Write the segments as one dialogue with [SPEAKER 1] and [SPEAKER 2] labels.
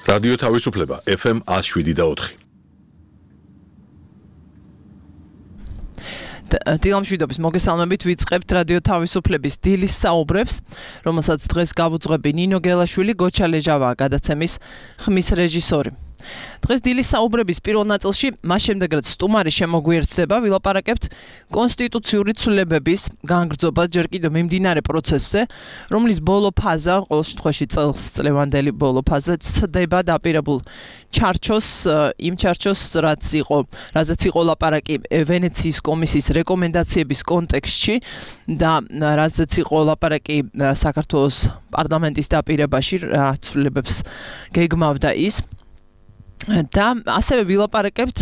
[SPEAKER 1] რადიო თავისუფლება FM 107.4.
[SPEAKER 2] დილამშვიდობის მოგესალმებით ვიწყებთ რადიო თავისუფლების დილის საუბრებს, რომელსაც დღეს გავუძღვები ნინო გელაშვილი, გოჩა ლეჟავაა გადაცემის ხმის რეჟისორი. დღეს დილის საუბრების პირველ ნაწილში მას შემდეგ რაც სტუმარი შემოგვიერთდება, ვილაპარაკებთ კონსტიტუციური ცვლილებების განგრძობად ჯერ კიდევ მიმდინარე პროცესზე, რომლის ბოლო ფაზა, ყოველ შემთხვევაში წლევანდელი ბოლო ფაზა ცდება დაპირებულ ჩარჩოს, იმ ჩარჩოს, რაზეც იყო ლაპარაკი ვენეციის კომისიის რეკომენდაციების კონტექსტში და რაზეც იყო ლაპარაკი საქართველოს პარლამენტის დაპირებაში, რა ცვლილებებს გეგმავდა ის. და ასევე ვილაპარაკებთ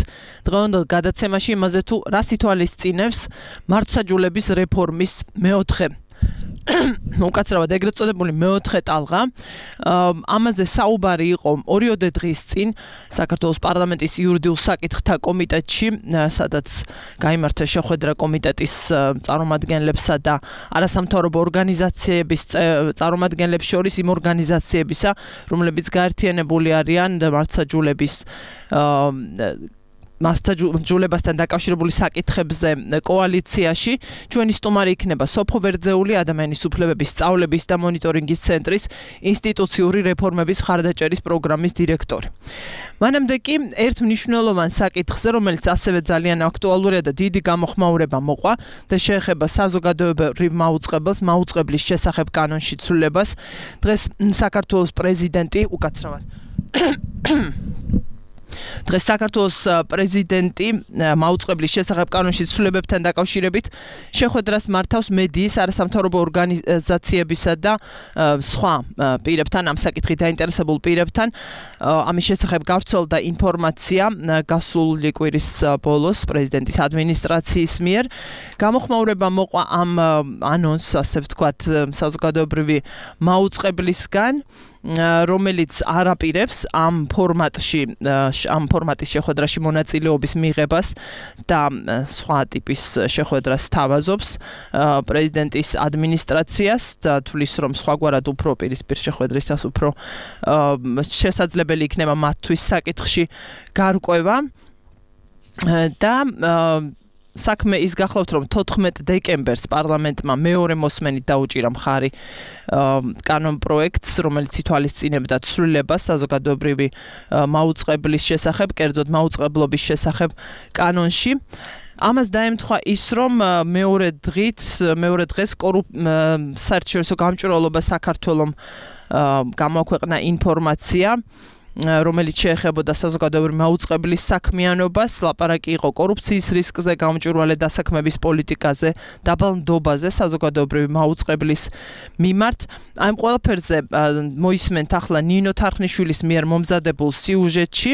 [SPEAKER 2] დღევანდელ გადაცემაში იმაზე თუ რას ითვალისწინებს მართლმსაჯულების რეფორმის მეოთხე უკაცრავად ეგრეთ წოდებული მეოთხე ტალღა. ამაზე საუბარი იყო ორიოდე დღის წინ საქართველოს პარლამენტის იურიდიულ საკითხთა კომიტეტში, სადაც გაიმართა შეხვედრა კომიტეტის წარმომადგენლებსა და არასამთავრობო ორგანიზაციების წარმომადგენლებს შორის, იმ ორგანიზაციებისა, რომლებიც გაერთიანებული არიან მართლმსაჯულებასთან დაკავშირებული საკითხებზე კოალიციაში. ჩვენი სტუმარი იქნება სოფო ვერძეული, ადამიანის უფლებების სწავლების და მონიტორინგის ცენტრის ინსტიტუციური რეფორმების მხარდაჭერის პროგრამის დირექტორი. მანამდე კი ერთ მნიშვნელოვან საკითხზე, რომელიც ასევე ძალიან აქტუალურია და დიდი გამოხმაურება მოყვა და შეეხება საზოგადოებრივ მაუწყებლის შესახებ კანონში ცვლილებას, დღეს საქართველოს პრეზიდენტი დღეს საქართველოს პრეზიდენტი მაუწყებლის შესახებ კანონში ცვლილებებთან დაკავშირებით შეხვედრას მართავს მედიის, არასამთავრობო ორგანიზაციებისა და სხვა პირებთან, ამ საკითხით დაინტერესებულ პირებთან. ამის შესახებ გავრცელდა ინფორმაცია გასული კვირის ბოლოს პრეზიდენტის ადმინისტრაციის მიერ. გამოხმაურება მოყვა ამ ანონსს, ასე ვთქვათ, საზოგადოებრივი მაუწყებლისგან, რომელიც არაპირებს ამ ფორმატის შეხვედრაში მონაწილეობის მიღებას და სხვა ტიპის შეხვედრას თავაზობს პრეზიდენტის ადმინისტრაციას და თვლის, რომ სხვაგვარად უფრო პირისპირ შეხვედრისას უფრო შესაძლებელი იქნება მათთვის საკითხში გარკვევა და საქმე ის გახლავთ, რომ 14 დეკემბერს პარლამენტმა მეორე მოსმენით დაუჭირა მხარი კანონ პროექტს, რომელიც ითვალისწინებდა ცვლილებას საზოგადოებრივი მაუწყებლის შესახებ, კერძოდ მაუწყებლობის შესახებ კანონში. ამას დაემთხვა ის, რომ მეორე დღეს საერთაშორისო გამჭვირვალობა საქართველომ გამოაქვეყნა ინფორმაცია, რომელიც შეეხებოდა საზოგადოებრივი მაუწყებლის საქმიანობას. ლაპარაკი იყო კორუფციის რისკზე, გამჭვირვალე დასაქმების პოლიტიკაზე, დაბალ ნდობაზე საზოგადოებრივი მაუწყებლის მიმართ. ამ ყველაფერზე მოისმენთ ახლა ნინო თარხნიშვილის მიერ მომზადებულ სიუჟეტში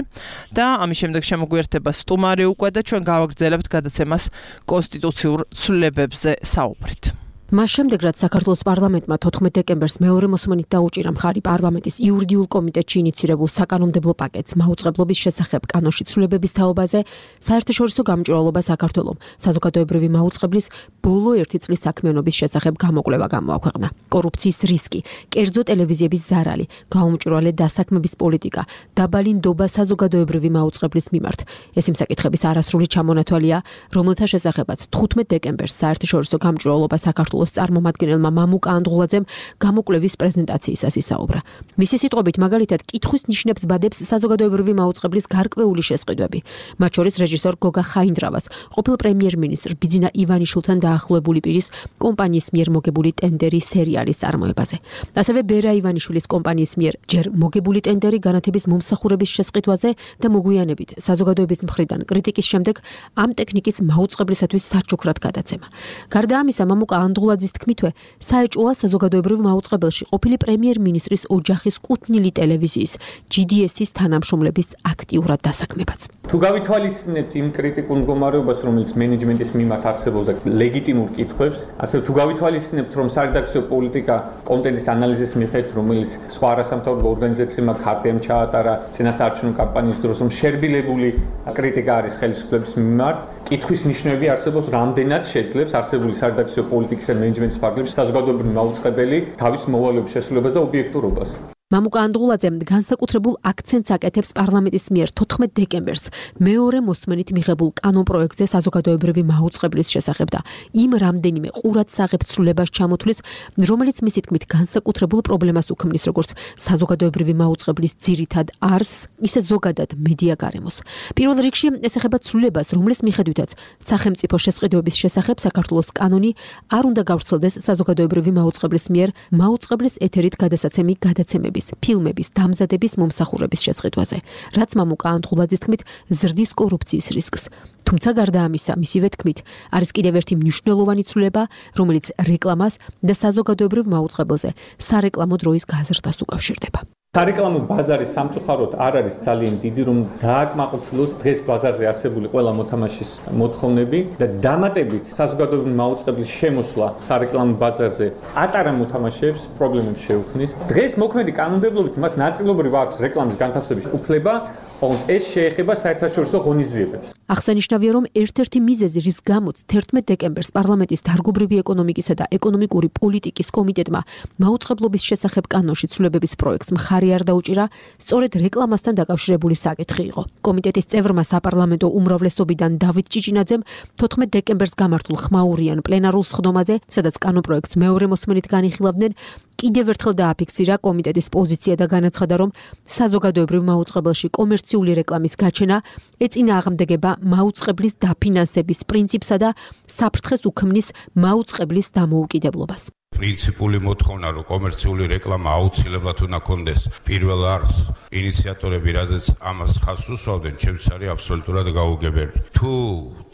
[SPEAKER 2] და ამის შემდეგ შემოგვიერთება სტუმარი უკვე და ჩვენ გავაგრძელებთ გადაცემას კონსტიტუციურ ცვლილებებზე საუბრით.
[SPEAKER 3] მას შემდეგ, რაც საქართველოს პარლამენტმა 14 დეკემბერს მეორე მოსმენით დაუჭირა მხარი პარლამენტის იურიდიულ კომიტეტში ინიცირებულ საკანონმდებლო პაკეტს მაუწყებლობის შესახებ კანონში ცვლილებების თაობაზე, საერთაშორისო გამჭვირვალობა საქართველომ საზოგადოებრივი მაუწყებლის ბოლო 1 წლის საქმიანობის შესახებ გამოკვლევა გამოაქვეყნა. კორუფციის რისკი, კერძო ტელევიზიების ზარალი, გაუმჭვირვალე დასაქმების პოლიტიკა, დაბალი ნდობა საზოგადოებრივი მაუწყებლის მიმართ. ეს იმ საკითხების არასრული ჩამონათვალია, რომელთა შესახებაც 15 დეკემბერს საერთაშორისო გამჭვირვალობა საქართველოს წარმომადგენელმა მამუკა ანდღულაძემ გამოკვლევის პრეზენტაციისას ისაუბრა. მისი სიტყვებით, მაგალითად, კითხვის ნიშნებს ბადებს საზოგადოებრივი მაუწყებლის გარკვეული შესყიდვები, მათ შორის რეჟისორ გოგა ხაინდრავას, ყოფილ პრემიერ-მინისტრ ბიძინა ივანიშვილთან დაახლოებული პირის კომპანიის მიერ მოგებული ტენდერი სერიალის წარმოებაზე. ასევე ბერა ივანიშვილის კომპანიის მიერ ჯერ მოგებული ტენდერი განათების მომსახურების შესყიდვაზე და მოგვიანებით საზოგადოების მხრიდან კრიტიკის შემდეგ ამ ტექნიკის მაუწყებლისათვის საჩუქრად გადაცემა. გარდა ამისა, მამუკა ანდღულაძის თქმითვე, საეჭვოა საზოგადოებრივ მაუწყებელში ყოფილი პრემიერ-მინისტრის ოჯახის კუთვნილი ტელევიზიის GDS-ის თანამშრომლების აქტიურად დასაქმებაც.
[SPEAKER 4] თუ გავითვალისწინებთ იმ კრიტიკულ მდგომარეობას, რომელიც მენეჯმენტის მიმართ არსებობს და ლეგიტიმურ კითხვებს, ასე თუ გავითვალისწინებთ, რომ სარედაქციო პოლიტიკა კონტენტის ანალიზის მიხედვით, რომელიც სხვა არასამთავრობო ორგანიზაციებმა ხარტიამ ჩაატარა წინასაარჩევნო კამპანიის დროს, რომ შერბილებული კრიტიკა არის ხელისუფლების მიმართ, კითხვის ნიშნები არსებობს, რამდენად შეძლებს არსებული სარედაქციო პოლიტიკის და მენეჯმენტის ფარგლებში საზოგადოებრივი მაუწყებელი თავის მოვალეობის შესრულებას და ობიექტურობას.
[SPEAKER 3] მამუკა ანდღულაძე განსაკუთრებულ აქცენტს აკეთებს პარლამენტის მიერ 14 დეკემბერს მეორე მოსმენით მიღებულ კანონპროექტზე საზოგადოებრივი მაუწყებლის შესახებ და იმ რამდენიმე ყურადსაღებ ცვლილებას ჩამოთვლის, რომელიც მისი თქმით განსაკუთრებულ პრობლემას უქმნის როგორც საზოგადოებრივი მაუწყებლის ძირითად არსს, ისე ზოგადად მედია გარემოს. პირველ რიგში ეს ეხება ცვლილებას, რომლის მიხედვითაც სახელმწიფო შესყიდვების შესახებ საქართველოს კანონი არ უნდა გავრცელდეს საზოგადოებრივი მაუწყებლის მიერ მაუწყებლის ეთერით გადასაცემი გადაცემები ფილმების დამზადების მომსახურების შესყიდვაზე, რაც მამუკა ანდღულაძის თქმით ზრდის კორუფციის რისკს. თუმცა გარდა ამისა, მისივე თქმით, არის კიდევ ერთი მნიშვნელოვანი ცვლილება, რომელიც რეკლამას და საზოგადოებრივ მაუწყებელზე სარეკლამო დროის გაზრდას უკავშირდება.
[SPEAKER 4] სარეკლამო ბაზარი სამწუხაროდ არ არის ძალიან დიდი, რომ დააკმაყოფილოს დღეს ბაზარზე არსებული ყველა მოთამაშის მოთხოვნები და დამატებით საზოგადოებრივი მაუწყებლის შემოსვლა სარეკლამო ბაზარზე ატარა მოთამაშეებს პრობლემებს შეუქმნის. დღეს მოქმედი კანონმდებლობით მას ნაწილობრივ აქვს რეკლამის განთავსების უფლება, თუმცა ეს შეეხება საერთაშორისო ღონისძიებებს.
[SPEAKER 3] აღსანიშნავია, რომ ერთ-ერთი მიზეზი, რის გამოც 11 დეკემბერს პარლამენტის დარგობრივი ეკონომიკისა და ეკონომიკური პოლიტიკის კომიტეტმა მაუწყებლობის შესახებ კანონში ცვლილებების პროექტს მხარი არ დაუჭირა, სწორედ რეკლამასთან დაკავშირებული საკითხი იყო. კომიტეტის წევრმა საპარლამენტო უმრავლესობიდან დავით ჭიჭინაძემ 14 დეკემბერს გამართულ ხმაურიან პლენარულ სხდომაზე, სადაც კანონპროექტს მეორე მოსმენით განიხილავდნენ, კიდევ ერთხელ დააფიქსირა კომიტეტის პოზიცია და განაცხადა, რომ საზოგადოებრივ მაუწყებელში კომერციული რეკლამის გაჩენა ეწინააღმდეგება მაუწყებლის დაფინანსების პრინციპსა და საფრთხეს უქმნის მაუწყებლის დამოუკიდებლობას.
[SPEAKER 5] პრინციპული მოთხოვნა, რომ კომერციული რეკლამა აუცილებლად უნდა კონდეს პირველ არხს, ინიციატორები რაზეც ამას ხაზს უსვავდნენ, ჩემთვის არის აბსოლუტურად გაუგებელი. თუ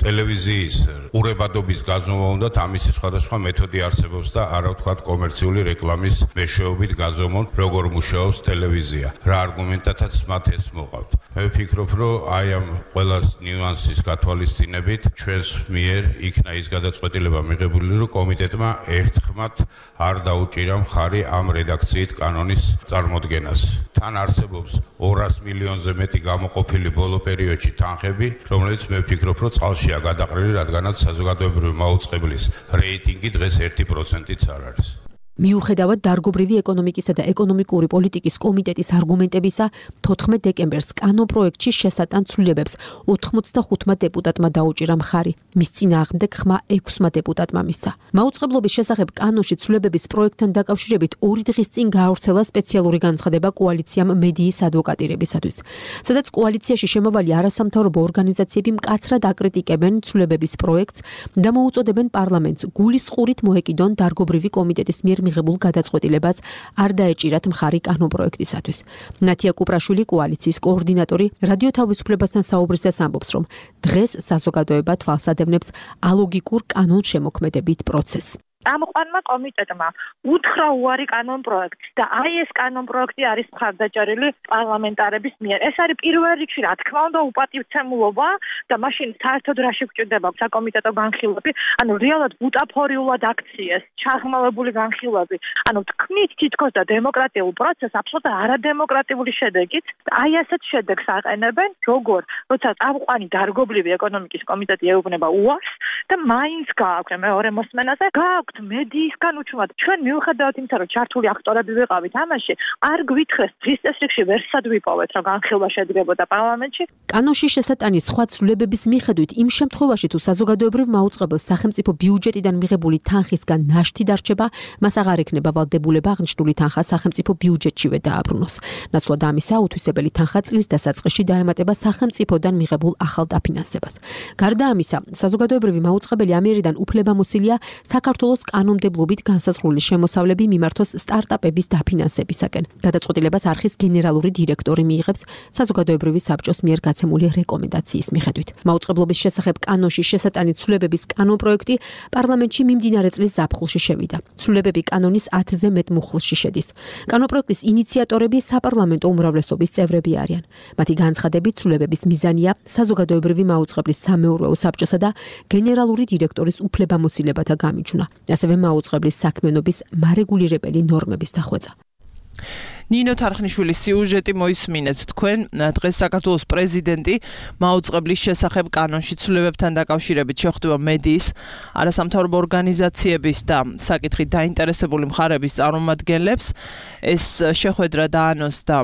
[SPEAKER 5] ტელევიზიის ყურებადობის გაზომა უნდათ, ამისი სხვადასხვა მეთოდი არსებობს და არა ვთქვათ კომერციული რეკლამის მეშვეობით გაზომონ, როგორ მუშაობს ტელევიზია, რა არგუმენტათაც მათ ეს მოყავთ. მე ვფიქრობ, რომ აი ამ ყველას ნიუანსის გათვალისწინებით ჩვენს მიერ იქნა ის გადაწყვეტილება მიღებული, რომ კომიტეტმა ერთხმად არ დაუჭირა მხარი ამ რედაქციით კანონის წარმოდგენას. თან არსებობს 200 მილიონზე მეტი გამოყოფილი ბოლო პერიოდში თანხები, რომელიც მე ვფიქრობ, რომ წყალშია გადაყრილი, რადგანაც საზოგადოებრივი მაუწყებლის რეიტინგი დღეს 1%-იც არ არის.
[SPEAKER 3] მიუხედავად დარგობრივი ეკონომიკისა და ეკონომიკური პოლიტიკის კომიტეტის არგუმენტებისა, 14 დეკემბერს კანონპროექტში შესატან ცვლილებებს 85 დეპუტატმა დაუჭირა მხარი. მის წინააღმდეგ ხმა 6 დეპუტატმა მისცა. მაუწყებლობის შესახებ კანონში ცვლილებების პროექტთან დაკავშირებით 2 დღის წინ გაავრცელა სპეციალური განცხადება კოალიციამ მედიის ადვოკატირებისათვის, სადაც კოალიციაში შემავალი არასამთავრობო ორგანიზაციები მკაცრად აკრიტიკებენ ცვლილებების პროექტს და მოუწოდებენ პარლამენტს გულისხმურით მოეკიდონ დარგობრივი კომიტეტის მიერ მიღებულ გადაწყვეტილებას არ დაეჭირათ მხარი კანონპროექტისათვის. ნათია კუპრაშვილი, კოალიციის კოორდინატორი, რადიო თავისუფლებასთან საუბრისას ამბობს, რომ დღეს საზოგადოება თვალს ადევნებს ალოგიკურ კანონშემოქმედებით პროცესს.
[SPEAKER 6] წამყვანმა კომიტეტმა უთხრა უარი კანონპროექტს და აი ეს კანონპროექტი არის მხარდაჭერილი პარლამენტარების მიერ. ეს არის პირველ რიგში, რა თქმა უნდა, უპატივცემულობა და მაშინ საერთოდ რაში გვჭირდება საკომიტეტო განხილვები, ანუ რეალურად ბუტაფორიულად აქციეს, ჩაღრმავებული განხილვები, ანუ თქმით თითქოს და დემოკრატიულ პროცესს აბსოლუტურად არადემოკრატიული შედეგით, აი ასეთ შედეგს აყენებენ, როგორ როცა წამყვანი დარგობრივი ეკონომიკის კომიტეტი ეუბნება უარს და მაინც გააქვთ მეორე მოსმენაზე, გააქვთ მედიისგან უჩვენად. ჩვენ მიუხედავად იმისა, რომ ჩართული აქტორები ვიყავით ამაში, არ გვითხრეს დღის წესრიგში ვერსად ვიპოვეთ, რომ განხილვა შედგებოდა პარლამენტში.
[SPEAKER 3] კანონში შესატანის სხვა ცვლილებების მიხედვით, იმ შემთხვევაში თუ საზოგადოებრივ მაუწყებელს სახელმწიფო ბიუჯეტიდან მიღებული თანხისგან ნაშთი დარჩება, მას აღარ ექნება ვალდებულება აღნიშნული თანხა სახელმწიფო ბიუჯეტშივე დააბრუნოს. ნაცვლად ამისა, უთვისებელი თანხა წლის დასაწყისში დაემატება სახელმწიფოდან მიღებულ ახალ დაფინანსებას. გარდა ამისა, საზოგადოებრივი მაუწყებელი ამიერიდან უფლებამოსილია საქართველოს კანონმდებლობით განსაზღვრული შემოსავლები მიმართოს სტარტაპების დაფინანსებისაკენ. გადაწყვეტილებას არხის გენერალური დირექტორი მიიღებს საზოგადოებრივი საბჭოს მიერ გაცემული რეკომენდაციის მიხედვით. მაუწყებლობის შესახებ კანონში შესატანით ცვლილებების კანონპროექტი პარლამენტში მიმდინარე წლის ზაფხულში შევიდა. ცვლილებები კანონის 10-ზე მეტ მუხლში შედის. კანონპროექტის ინიციატორები საპარლამენტო უმრავლესობის წევრები არიან. მათი განცხადებით, ცვლილებების მიზანია საზოგადოებრივი მაუწყებლის სამეურვეო საბჭოსა და გენერალური დირექტორის უფლებამოსილებათა გამიჯვნა. ასევე მაუწყებლის საქმიანობის მარეგულირებელი ნორმების დახვეწა.
[SPEAKER 2] ნინო თარხნიშვილის სიუჟეტი მოისმინეთ თქვენ. დღეს საქართველოს პრეზიდენტი მაუწყებლის შესახებ კანონში ცვლილებებთან დაკავშირებით შეხვდება მედიის, არასამთავრობო ორგანიზაციების და საკითხით დაინტერესებული მხარების წარმომადგენლებს. ეს შეხვედრა დაანონს და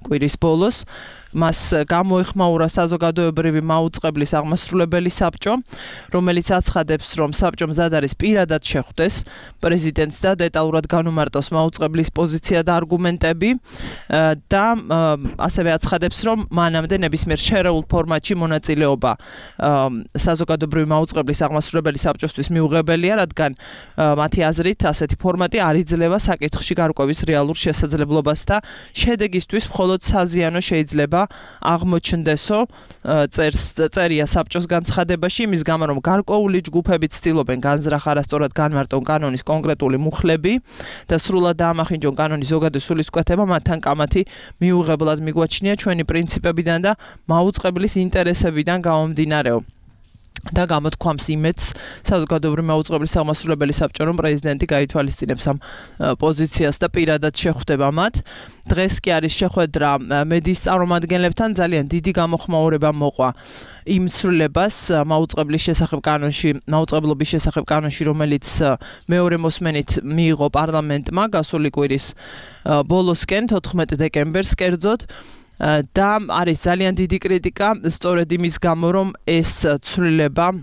[SPEAKER 2] კვირის ბოლოს მას გამოეხმაურა საზოგადოებრივი მაუწყებლის აღმასრულებელი საბჭო, რომელიც აცხადებს, რომ საბჭო მზად არის პირადად შეხვდეს პრეზიდენტს და დეტალურად განუმარტოს მაუწყებლის პოზიცია და არგუმენტები და ასევე აცხადებს, რომ მანამდე ნებისმიერ შერეულ ფორმატში მონაწილეობა საზოგადოებრივი მაუწყებლის აღმასრულებელი საბჭოსთვის მიუღებელია, რადგან მათი აზრით ასეთი ფორმატი არ იძლევა საკითხში გარკვევის რეალურ შესაძლებლობას და შედეგისთვის მხოლოდ საზიანო შეიძლება აღმოჩნდესო წერია საბჭოს განცხადებაში, იმის გამო რომ გარკვეული ჯგუფები ცდილობენ განზრახ არასწორად განმარტონ კანონის კონკრეტული მუხლები და სრულად დაამახინჯონ კანონის ზოგადი სულისკვეთება, მათთან კამათი მიუღებლად მიგვაჩნია ჩვენი პრინციპებიდან და მაუწყებლის ინტერესებიდან გამომდინარეო. და გამოთქვამს იმედს საზოგადოებრივი მაუწყებლის აღმასრულებელი საბჭო, რომ პრეზიდენტი გაითვალისწინებს ამ პოზიციას და პირადად შეხვდება მათ. დღეს კი არის შეხვედრა მედიის წარმომადგენლებთან, ძალიან დიდი გამოხმაურება მოყვა იმ ცვლილებას მაუწყებლის შესახებ კანონში, მაუწყებლობის შესახებ კანონში, რომელიც მეორე მოსმენით მიიღო პარლამენტმა გასული კვირის ბოლოსკენ 14 დეკემბერს კერძოდ. და არის ძალიან დიდი კრიტიკა სწორედ იმის გამო, რომ ეს ცვლილება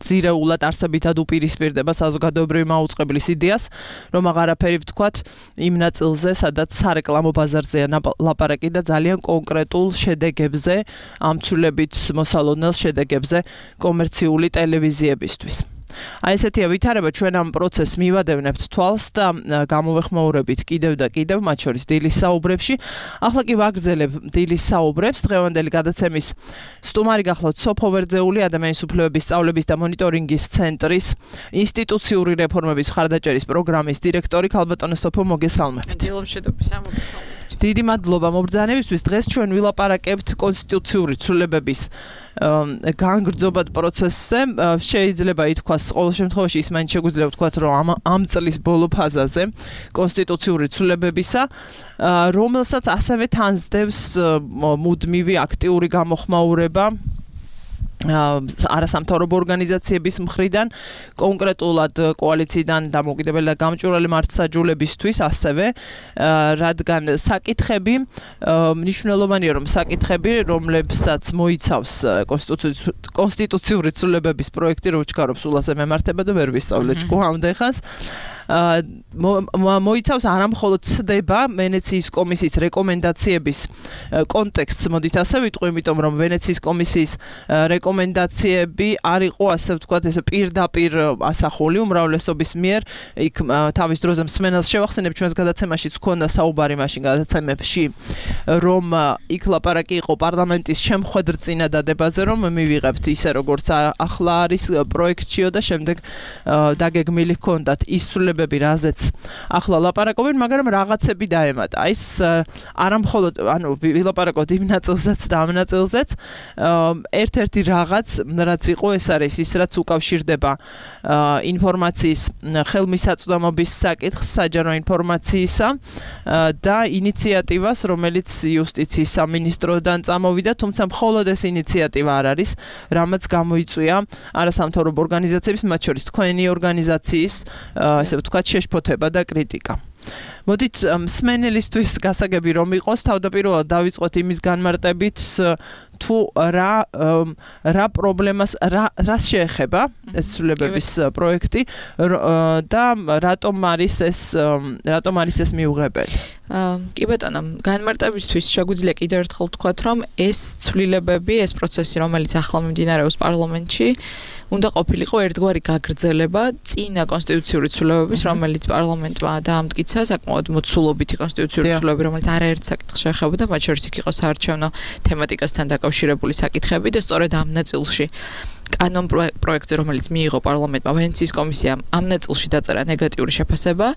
[SPEAKER 2] ძირეულად არსებითად უპირისპირდება საზოგადოებრივი მაუწყებლის იდეას, რომ აღარაფერი ვთქვათ იმ ნაწილზე, სადაც სარეკლამო ბაზარზეა ლაპარაკი და ძალიან კონკრეტულ შედეგებზე, ამ ცვლილებით მოსალოდნელ შედეგებზე კომერციული ტელევიზიებისთვის. აი ესეთია ვითარება, ჩვენ ამ პროცესს მივადევნებთ თვალს და გამოვეხმაურებით კიდევ და კიდევ, მათ შორის დილის საუბრებში. ახლა კი ვაგრძელებ დილის საუბრებს. დღევანდელი გადაცემის სტუმარი გახლავთ სოფო ვერძეული, ადამიანის უფლებების სწავლების და მონიტორინგის ცენტრის ინსტიტუციური რეფორმების მხარდაჭერის პროგრამის დირექტორი. ქალბატონო სოფო, მოგესალმებით. დიდი მადლობა მობრძანებისთვის. დღეს ჩვენ ვილაპარაკებთ კონსტიტუციური ცვლილებების განგრძობად პროცესზე. შეიძლება ითქვას, ყოველ შემთხვევაში ის მაინც შეგვიძლია ვთქვათ, რომ ამ წლის ბოლო ფაზაზე კონსტიტუციური ცვლილებებისა, რომელსაც ასევე თანსდევს მუდმივი აქტიური გამოხმაურება არასამთავრობო ორგანიზაციების მხრიდან, კონკრეტულად კოალიციიდან დამოუკიდებელი და გამჭვირვალე მართლმსაჯულებისთვის ასევე, რადგან საკითხები მნიშვნელოვანია, რომ საკითხები, რომლებსაც მოიცავს კონსტიტუციური ცვლილებების პროექტი, რო ვჩქარობ სულაზე მემართება და ვერ ვისწავლე ჭკუამდე ხას, მოიცავს არამხოლოდ ცდება ვენეციის კომისიის რეკომენდაციების კონტექსტს, მოდით ასე ვიტყვი, იმიტომ რომ ვენეციის კომისიის რეკომენდაციები არ იყო, ასე ვთქვათ, ეს პირდაპირ ასახული უმრავლესობის მიერ, იქ თავის დროზე მსმენელს შევახსენებ, ჩვენს გადაცემაშიც ჰქონდა საუბარი მაშინ გადაცემებში, რომ იქ ლაპარაკი იყო პარლამენტის შემხვედრ წინადადებაზე, რომ მივიღებთ ისე როგორც ახლა არის პროექტშიო და შემდეგ დაგეგმილი ჰქონდათ ის რაზეც ახლა ლაპარაკობენ, მაგრამ რაღაცები დაემატა. ის არამხოლოდ, ვილაპარაკოთ იმ ნაწილზეც და ამ ნაწილზეც, ერთ-ერთი რაღაც, რაც იყო, ეს არის ის, რაც უკავშირდება ინფორმაციის ხელმისაწვდომობის საკითხს, საჯარო ინფორმაციისა და ინიციატივას, რომელიც იუსტიციის სამინისტროდან წამოვიდა, თუმცა მხოლოდ ეს ინიციატივა არ არის, რამაც გამოიწვია არასამთავრობო ორგანიზაციების, მათ შორის თქვენი ორგანიზაციის, ასე ვთქვათ, შეშფოთება და კრიტიკა. მოდით მსმენელისთვის გასაგები რომ იყოს, თავდაპირველად დავიწყოთ იმის განმარტებით, თუ რა პრობლემას, რას შეეხება ეს ცვლილებების პროექტი და რატომ არის ეს მიუღებელი?
[SPEAKER 7] კი ბატონო, განმარტებისთვის შეგვიძლია კიდევ ერთხელ ვთქვათ, რომ ეს ცვლილებები, ეს პროცესი, რომელიც ახლა მიმდინარეობს პარლამენტში, უნდა ყოფილიყო ერთგვარი გაგრძელება წინა კონსტიტუციური ცვლილებების, რომელიც პარლამენტმა დაამტკიცა, საკმაოდ მოცულობითი კონსტიტუციური ცვლილებები, რომელიც არაერთ საკითხს შეეხებოდა, მათ შორის იქ იყო საარჩევნო თემატიკასთან დაკავშირებული საკითხები და სწორედ ამ ნაწილში კანონ პროექტზე, რომელიც მიიღო პარლამენტმა, ვენეციის კომისიამ ამ ნაწილში დაწერა ნეგატიური შეფასება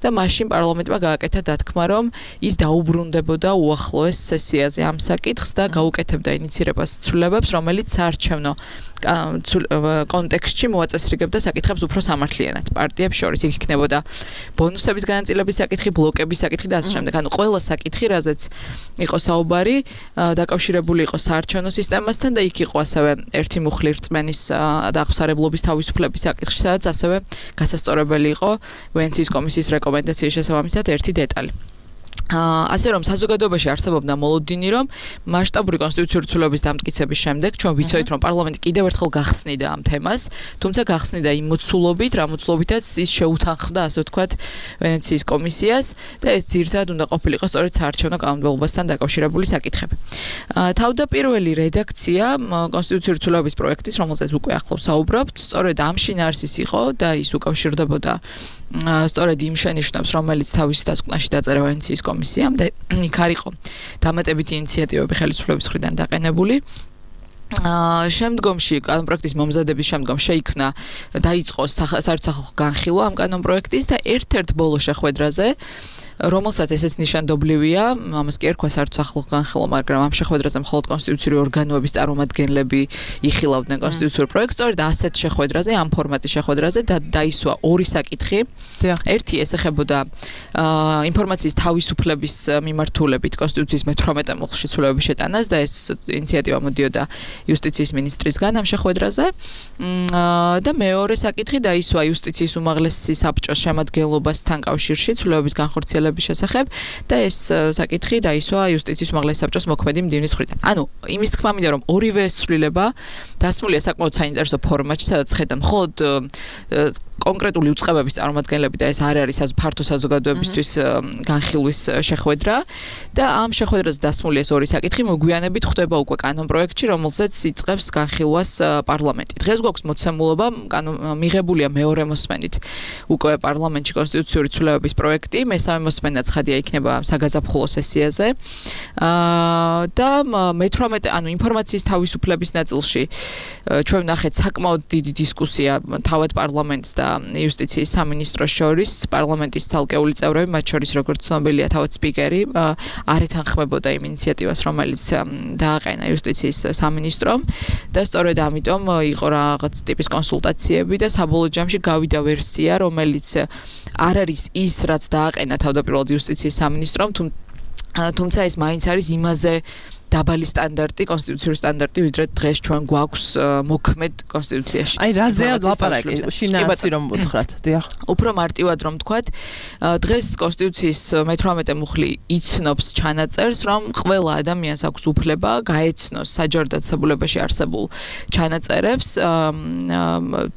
[SPEAKER 7] და მაშინ პარლამენტმა გააკეთა დათქმა, რომ ის დაუბრუნდებოდა უახლოეს სესიაზე ამ საკითხს და გაუკეთებდა ინიცირებას ცვლილებებს, რომელიც საარჩევნო კონტექსტში მოაწესრიგებდა საკითხებს უფრო სამართლიანად. პარტიებს შორის იქ იქნებოდა ბონუსების განაწილების საკითხი, ბლოკების საკითხი და ასე შემდეგ. ანუ ყველა საკითხი, რაზეც იყო საუბარი, დაკავშირებული იყო საარჩევნო სისტემასთან და იქ იყო ასევე ერთი მუხლი რწმენის და აღსარებლობის თავისუფლების საკითხში, სადაც ასევე გასასწორებელი იყო ვენეციის კომისიის რეკომენდაციის შესაბამისად ერთი დეტალი. ასე რომ საზოგადოებაში არსებობდა მოლოდინი, რომ მასშტაბური კონსტიტუციური ცვლილებების დამტკიცების შემდეგ ჩვენ ვიცოდით, რომ პარლამენტი კიდევ ერთხელ გახსნიდა ამ თემას, თუმცა გახსნიდა იმ მოცულობით, რა მოცულობითაც ის შეუთანხმდა, ასე ვთქვათ, ვენეციის კომისიას და ეს ძირითადად უნდა ყოფილიყო სწორედ საარჩევნო კანონმდებლობასთან დაკავშირებული საკითხები. თავდაპირველი რედაქცია კონსტიტუციური ცვლილებების პროექტის, რომელზეც უკვე ახლავს საუბრობთ, სწორედ ამ შინაარსის იყო და ის უკავშირდებოდა სწორედ იმ შენიშვნებს, რომელიც თავისი დასკვნაში დაწერა ვენეციის კომისიამ და იქ არ იყო დამატებითი ინიციატივები ხელისუფლების მხრიდან დაყენებული. შემდგომში კანონპროექტის მომზადების შემდგომ შეიქმნა დაიწყო საერთო განხილვა ამ კანონპროექტის და ერთ-ერთ ბოლო შეხვედრაზე, რომელსაც ესეც ნიშანდობლივია, ამას კი ერქვა საერთო განხილვა, მაგრამ ამ შეხვედრაზე მხოლოდ კონსტიტუციური ორგანოების წარმომადგენლები იხილავდნენ კონსტიტუციურ პროექტს, სწორედ ასეთ შეხვედრაზე, ამ ფორმატის შეხვედრაზე დაისვა ორი საკითხი. ერთი ესახებოდა ინფორმაციის თავისუფლების მიმართულებით კონსტიტუციის მე-18 მუხლში ცვლილებების შეტანას და ეს ინიციატივა მოდიოდა იუსტიციის მინისტრისგან ამ შეხვედრაზე. და მეორე საკითხი დაისვა იუსტიციის უმაღლესი საბჭოს შემადგენლობასთან კავშირში ცვლილებების განხორციელების შესახებ და ეს საკითხი დაისვა იუსტიციის უმაღლესი საბჭოს მოქმედი მდივნის მხრიდან. ანუ იმის თქმა მინდა, რომ ორივე ეს ცვლილება დასმულია საკმაოდ საინტერესო ფორმატში, სადაც ხედავ მხოლოდ კონკრეტული უწყებების წარმომადგენლები და ეს არ არის ფართო საზოგადოებისთვის განხილვის შეხვედრა და ამ შეხვედრაზე დასმული ეს ორი საკითხი მოგვიანებით ხდება უკვე კანონპროექტში, რომელზეც იწყებს განხილვას პარლამენტი. დღეს გვაქვს მოცემულობა, მიღებულია მეორე მოსმენით უკვე პარლამენტში კონსტიტუციური ცვლილებების პროექტი, მესამე მოსმენა ცხადია იქნება საგაზაფხულო სესიაზე. და მე-18 ანუ ინფორმაციის თავისუფლების ნაწილში ჩვენ ვნახეთ საკმაოდ დიდი დისკუსია თავად პარლამენტს და იუსტიციის სამინისტროს შორის, პარლამენტის ცალკეული წევრები, მათ შორის როგორც ცნობილია თავად სპიკერი, არ ეთანხმებოდა იმ ინიციატივას, რომელიც დააყენა იუსტიციის სამინისტრომ და სწორედ ამიტომ იყო რაღაც ტიპის კონსულტაციები და საბოლოო ჯამში გავიდა ვერსია, რომელიც არ არის ის, რაც დააყენა თავდაპირველად იუსტიციის სამინისტრომ, თუმცა ეს მაინც არის იმაზე დაბალი სტანდარტი, კონსტიტუციური სტანდარტი, ვიდრე დღეს ჩვენ გვაქვს მოქმედ კონსტიტუციაში.
[SPEAKER 2] აი, რაზეა ლაპარაკი? შინაარსი რომ ვუთხრათ, დიახ.
[SPEAKER 7] უფრო მარტივად რომ ვთქვათ, დღეს კონსტიტუციის მე-18 მუხლი იცნობს ჩანაწერს, რომ ყველა ადამიანს აქვს უფლება გაეცნოს საჯარდაცებულებაში არსებულ ჩანაწერებს,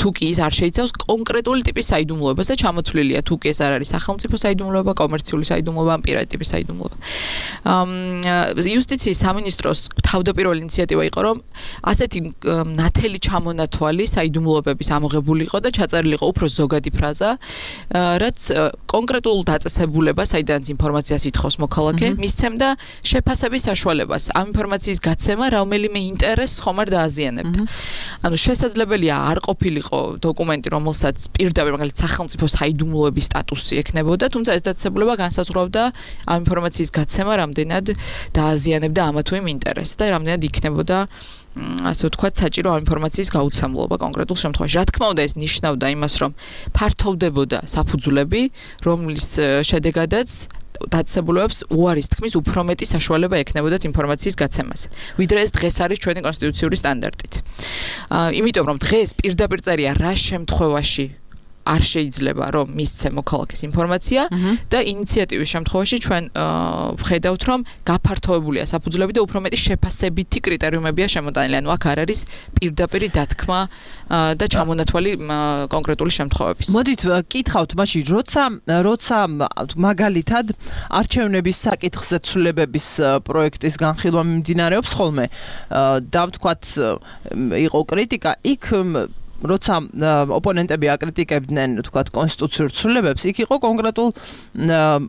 [SPEAKER 7] თუ კი ის არ შეიცავს კონკრეტული ტიპის საიდუმლოებას და ჩამოთვლილია, თუ კი ეს არ არის სახელმწიფო საიდუმლოება, კომერციული საიდუმლოება, პირადი ტიპის საიდუმლოება. იუსტიციის სამინისტროს თავდაპირველი ინიციატივა იყო, რომ ასეთი ნათელი ჩამონათვალი საიდუმლოებების ამოღებული იყო და ჩაწერილი იყო უფრო ზოგადი ფრაზა, რაც კონკრეტულ დაწესებულებას, საიდანაც ინფორმაციას ითხოვს მოქალაქე, მისცემდა შეფასების საშუალებას, ამ ინფორმაციის გაცემა რომელიმე ინტერესს ხომ არ დააზიანებდა. ანუ შესაძლებელია არ ყოფილიყო დოკუმენტი, რომელსაც პირდაპირ მაგალითად სახელმწიფო საიდუმლოების სტატუსი ექნებოდა, თუმცა ეს დაწესებულება განსაზღვრავდა ამ ინფორმაციის გაცემა რამდენად დააზიანებდა ამა თუ იმ ინტერესს და რამდენად იქნებოდა ასე ვთქვათ საჭირო ამ ინფორმაციის გაუცემლობა კონკრეტულ შემთხვევაში. რა თქმა უნდა ეს ნიშნავდა იმას, რომ ფართოვდებოდა საფუძვლები, რომლის შედეგადაც დაწესებულებებს უარის თქმის უფრო მეტი საშუალება ექნებოდათ ინფორმაციის გაცემაზე, ვიდრე ეს დღეს არის ჩვენი კონსტიტუციური სტანდარტით. იმიტომ რომ დღეს პირდაპირ წერია რა შემთხვევაში არ შეიძლება რომ მისცე მოქალაქეს ინფორმაცია და ინიციატივის შემთხვევაში ჩვენ ვხედავთ რომ გაფართოებულია საფუძვლები და უფრო მეტი შეფასებითი კრიტერიუმებია შემოტანილი. ანუ აქ არ არის პირდაპირი დათქმა და ჩამონათვალი კონკრეტული შემთხვევების.
[SPEAKER 2] მოდით კითხავთ მაშინ როცა მაგალითად არჩევნების საკითხზე ცვლილებების პროექტის განხილვა მიმდინარეობს ხოლმე და ვთქვათ იყო კრიტიკა, იქ როცა ოპონენტები აკრიტიკებდნენ, თქვათ, კონსტიტუციურ ცვლილებებს, იქ იყო კონკრეტულ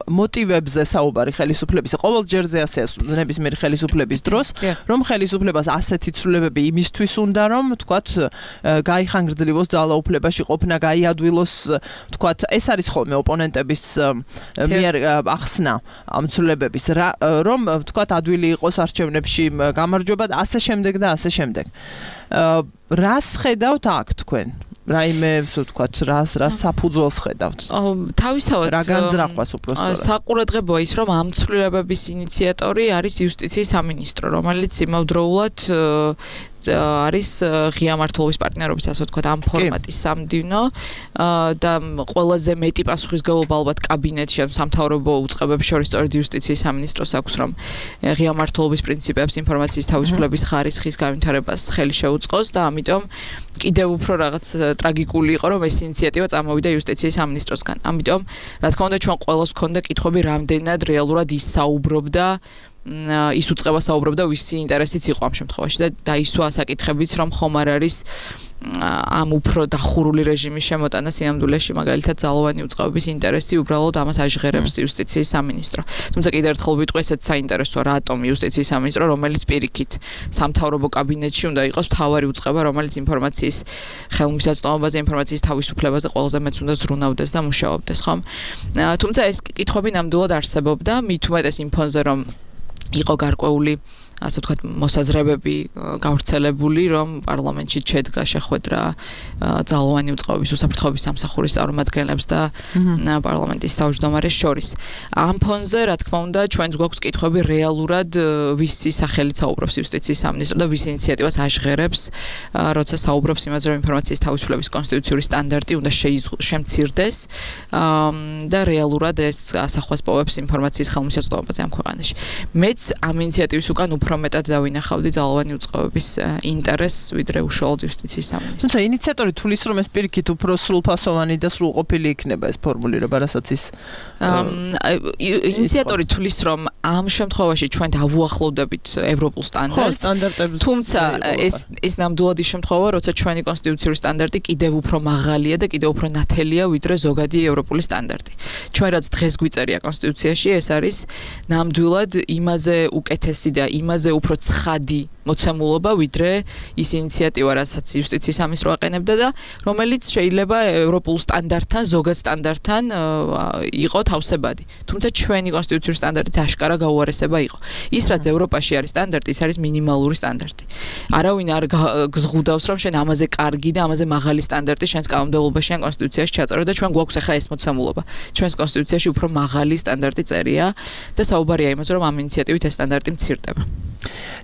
[SPEAKER 2] მოტივებზე საუბარი ხელისუფლების. ყოველ ჯერზე ასეა ნებისმიერი ხელისუფლების დროს, რომ ხელისუფლებას ასეთი ცვლილებები იმისთვის უნდა, რომ თქვათ, გაიხანგრძლივოს ძალაუფლებაში ყოფნა, გაიადვილოს, თქვათ, ეს არის ხოლმე ოპონენტების მიერ ახსნა ამ ცვლილებების, რომ თქვათ, ადვილი იყოს არჩევნებში გამარჯვება და ასე შემდეგ და ასე შემდეგ. რას ხედავთ აქ თქვენ? რაიმე ვთქვათ, რას საფუძველს ხედავთ?
[SPEAKER 7] თავისთავად
[SPEAKER 2] რა განზრახვას უბრალოდ
[SPEAKER 7] საყურადღებოა ის, რომ ამ ცვლილებების ინიციატორი არის იუსტიციის სამინისტრო, რომელიც იმავდროულად არის ღია მმართველობის პარტნიორობის, ასე ვთქვათ, ამ ფორმატის სამდივნო და ყველაზე მეტი პასუხისმგებლობა ალბათ კაბინეტში, სამთავრობო უწყებებს შორის სწორედ იუსტიციის სამინისტროს აქვს, რომ ღია მმართველობის პრინციპებს, ინფორმაციის თავისუფლების ხარისხის განვითარებას ხელი შეუწყოს და ამიტომ კიდევ უფრო რაღაც ტრაგიკული იყო, რომ ეს ინიციატივა წამოვიდა იუსტიციის სამინისტროსგან. ამიტომ, რა თქმა უნდა, ჩვენ ყველას გქონდა კითხვები, რამდენად რეალურად ის საუბრობდა ის უწყება საუბრობდა ვისი ინტერესიც იყო ამ შემთხვევაში და დაისვა საკითხებიც რომ ხომ არ არის ამ უფრო დახურული რეჟიმის შემოტანა სიამდვილეში მაგალითად ძალოვანი უწყებების ინტერესი უბრალოდ ამას აჟღერებს იუსტიციის სამინისტრო. თუმცა კიდევ ერთხელ ვიტყვი, ესეც საინტერესოა, რატომ იუსტიციის სამინისტრო, რომელიც პირიქით სამთავრობო კაბინეტში უნდა იყოს მთავარი უწყება, რომელიც ინფორმაციის ხელმისაწვდომობაზე, ინფორმაციის თავისუფლებაზე ყველაზე მეც უნდა ზრუნავდეს და მუშაობდეს, ხომ? თუმცა ეს კითხვები ნამდვილად არსებობდა, მით უმეტეს იმ ფონზე, რომ იყო გარკვეული ასე ვთქვათ მოსაზრებები გავრცელებული, რომ პარლამენტში შედგა შეხვედრა ძალოვანი უწყებების უსაფრთხოების სამსახურის წარმომადგენლებს და პარლამენტის თავმჯდომარეს შორის. ამ ფონზე, რა თქმა უნდა, ჩვენს გვაქვს კითხვები რეალურად ვისი სახელით საუბრობს იუსტიციის სამინისტრო და ვის ინიციატივას აჟღერებს, როცა საუბრობს იმაზე, რომ ინფორმაციის თავისუფლების კონსტიტუციური სტანდარტი უნდა შემცირდეს და რეალურად ეს ასახვას პოვებს ინფორმაციის ხელმისაწვდომობაზე ამ ქვეყანაში. მეც ამ ინიციატივის უკან უფრო მეტად დავინახავდი ძალოვანი უწყებების ინტერესს, ვიდრე უშუალოდ იუსტიციის სამინისტრო.
[SPEAKER 2] თუმცა ინიციატორი თulis რომ ეს პირიქით უფრო სრულფასოვანი და სრულყოფილი იქნება ეს ფორმულირება, რასაც ის
[SPEAKER 7] ინიციატორი თulis რომ ამ შემთხვევაში ჩვენ დავუახლოვდებით ევროპულ სტანდარტს. თუმცა ეს ნამდვილად ის შემთხვევა, როცა ჩვენი კონსტიტუციური სტანდარტი კიდევ უფრო მაღალია და კიდევ უფრო ნათელია, ვიდრე ზოგადი ევროპული სტანდარტი. ჩვენ რაც დღეს გვიწერია კონსტიტუციაში, ეს არის ნამდვილად იმაზე უკეთესი და იმაზე უფრო ცხადი მოცემულობა, ვიდრე ის ინიციატივა, რასაც იუსტიციის სამინისტრო აყენებდა და რომელიც შეიძლება ევროპულ სტანდარტთან, ზოგად სტანდარტთან იყო თავსებადი. თუმცა ჩვენი კონსტიტუციური სტანდარტიც აშკარა გაუარესება იყო. ის რაც ევროპაში არის სტანდარტი, ის არის მინიმალური სტანდარტი. არავინ არ გზღუდავს, რომ შენ ამაზე კარგი და ამაზე მაღალი სტანდარტი შენს კანონმდებლობაში ან კონსტიტუციაში ჩაწერო და ჩვენ გვაქვს ახლა ეს მოცემულობა. ჩვენს კონსტიტუციაში უფრო მაღალი სტანდარტი წერია და საუბარია იმაზე, რომ ამ ინიციატივით ეს სტანდარტი მცირდება.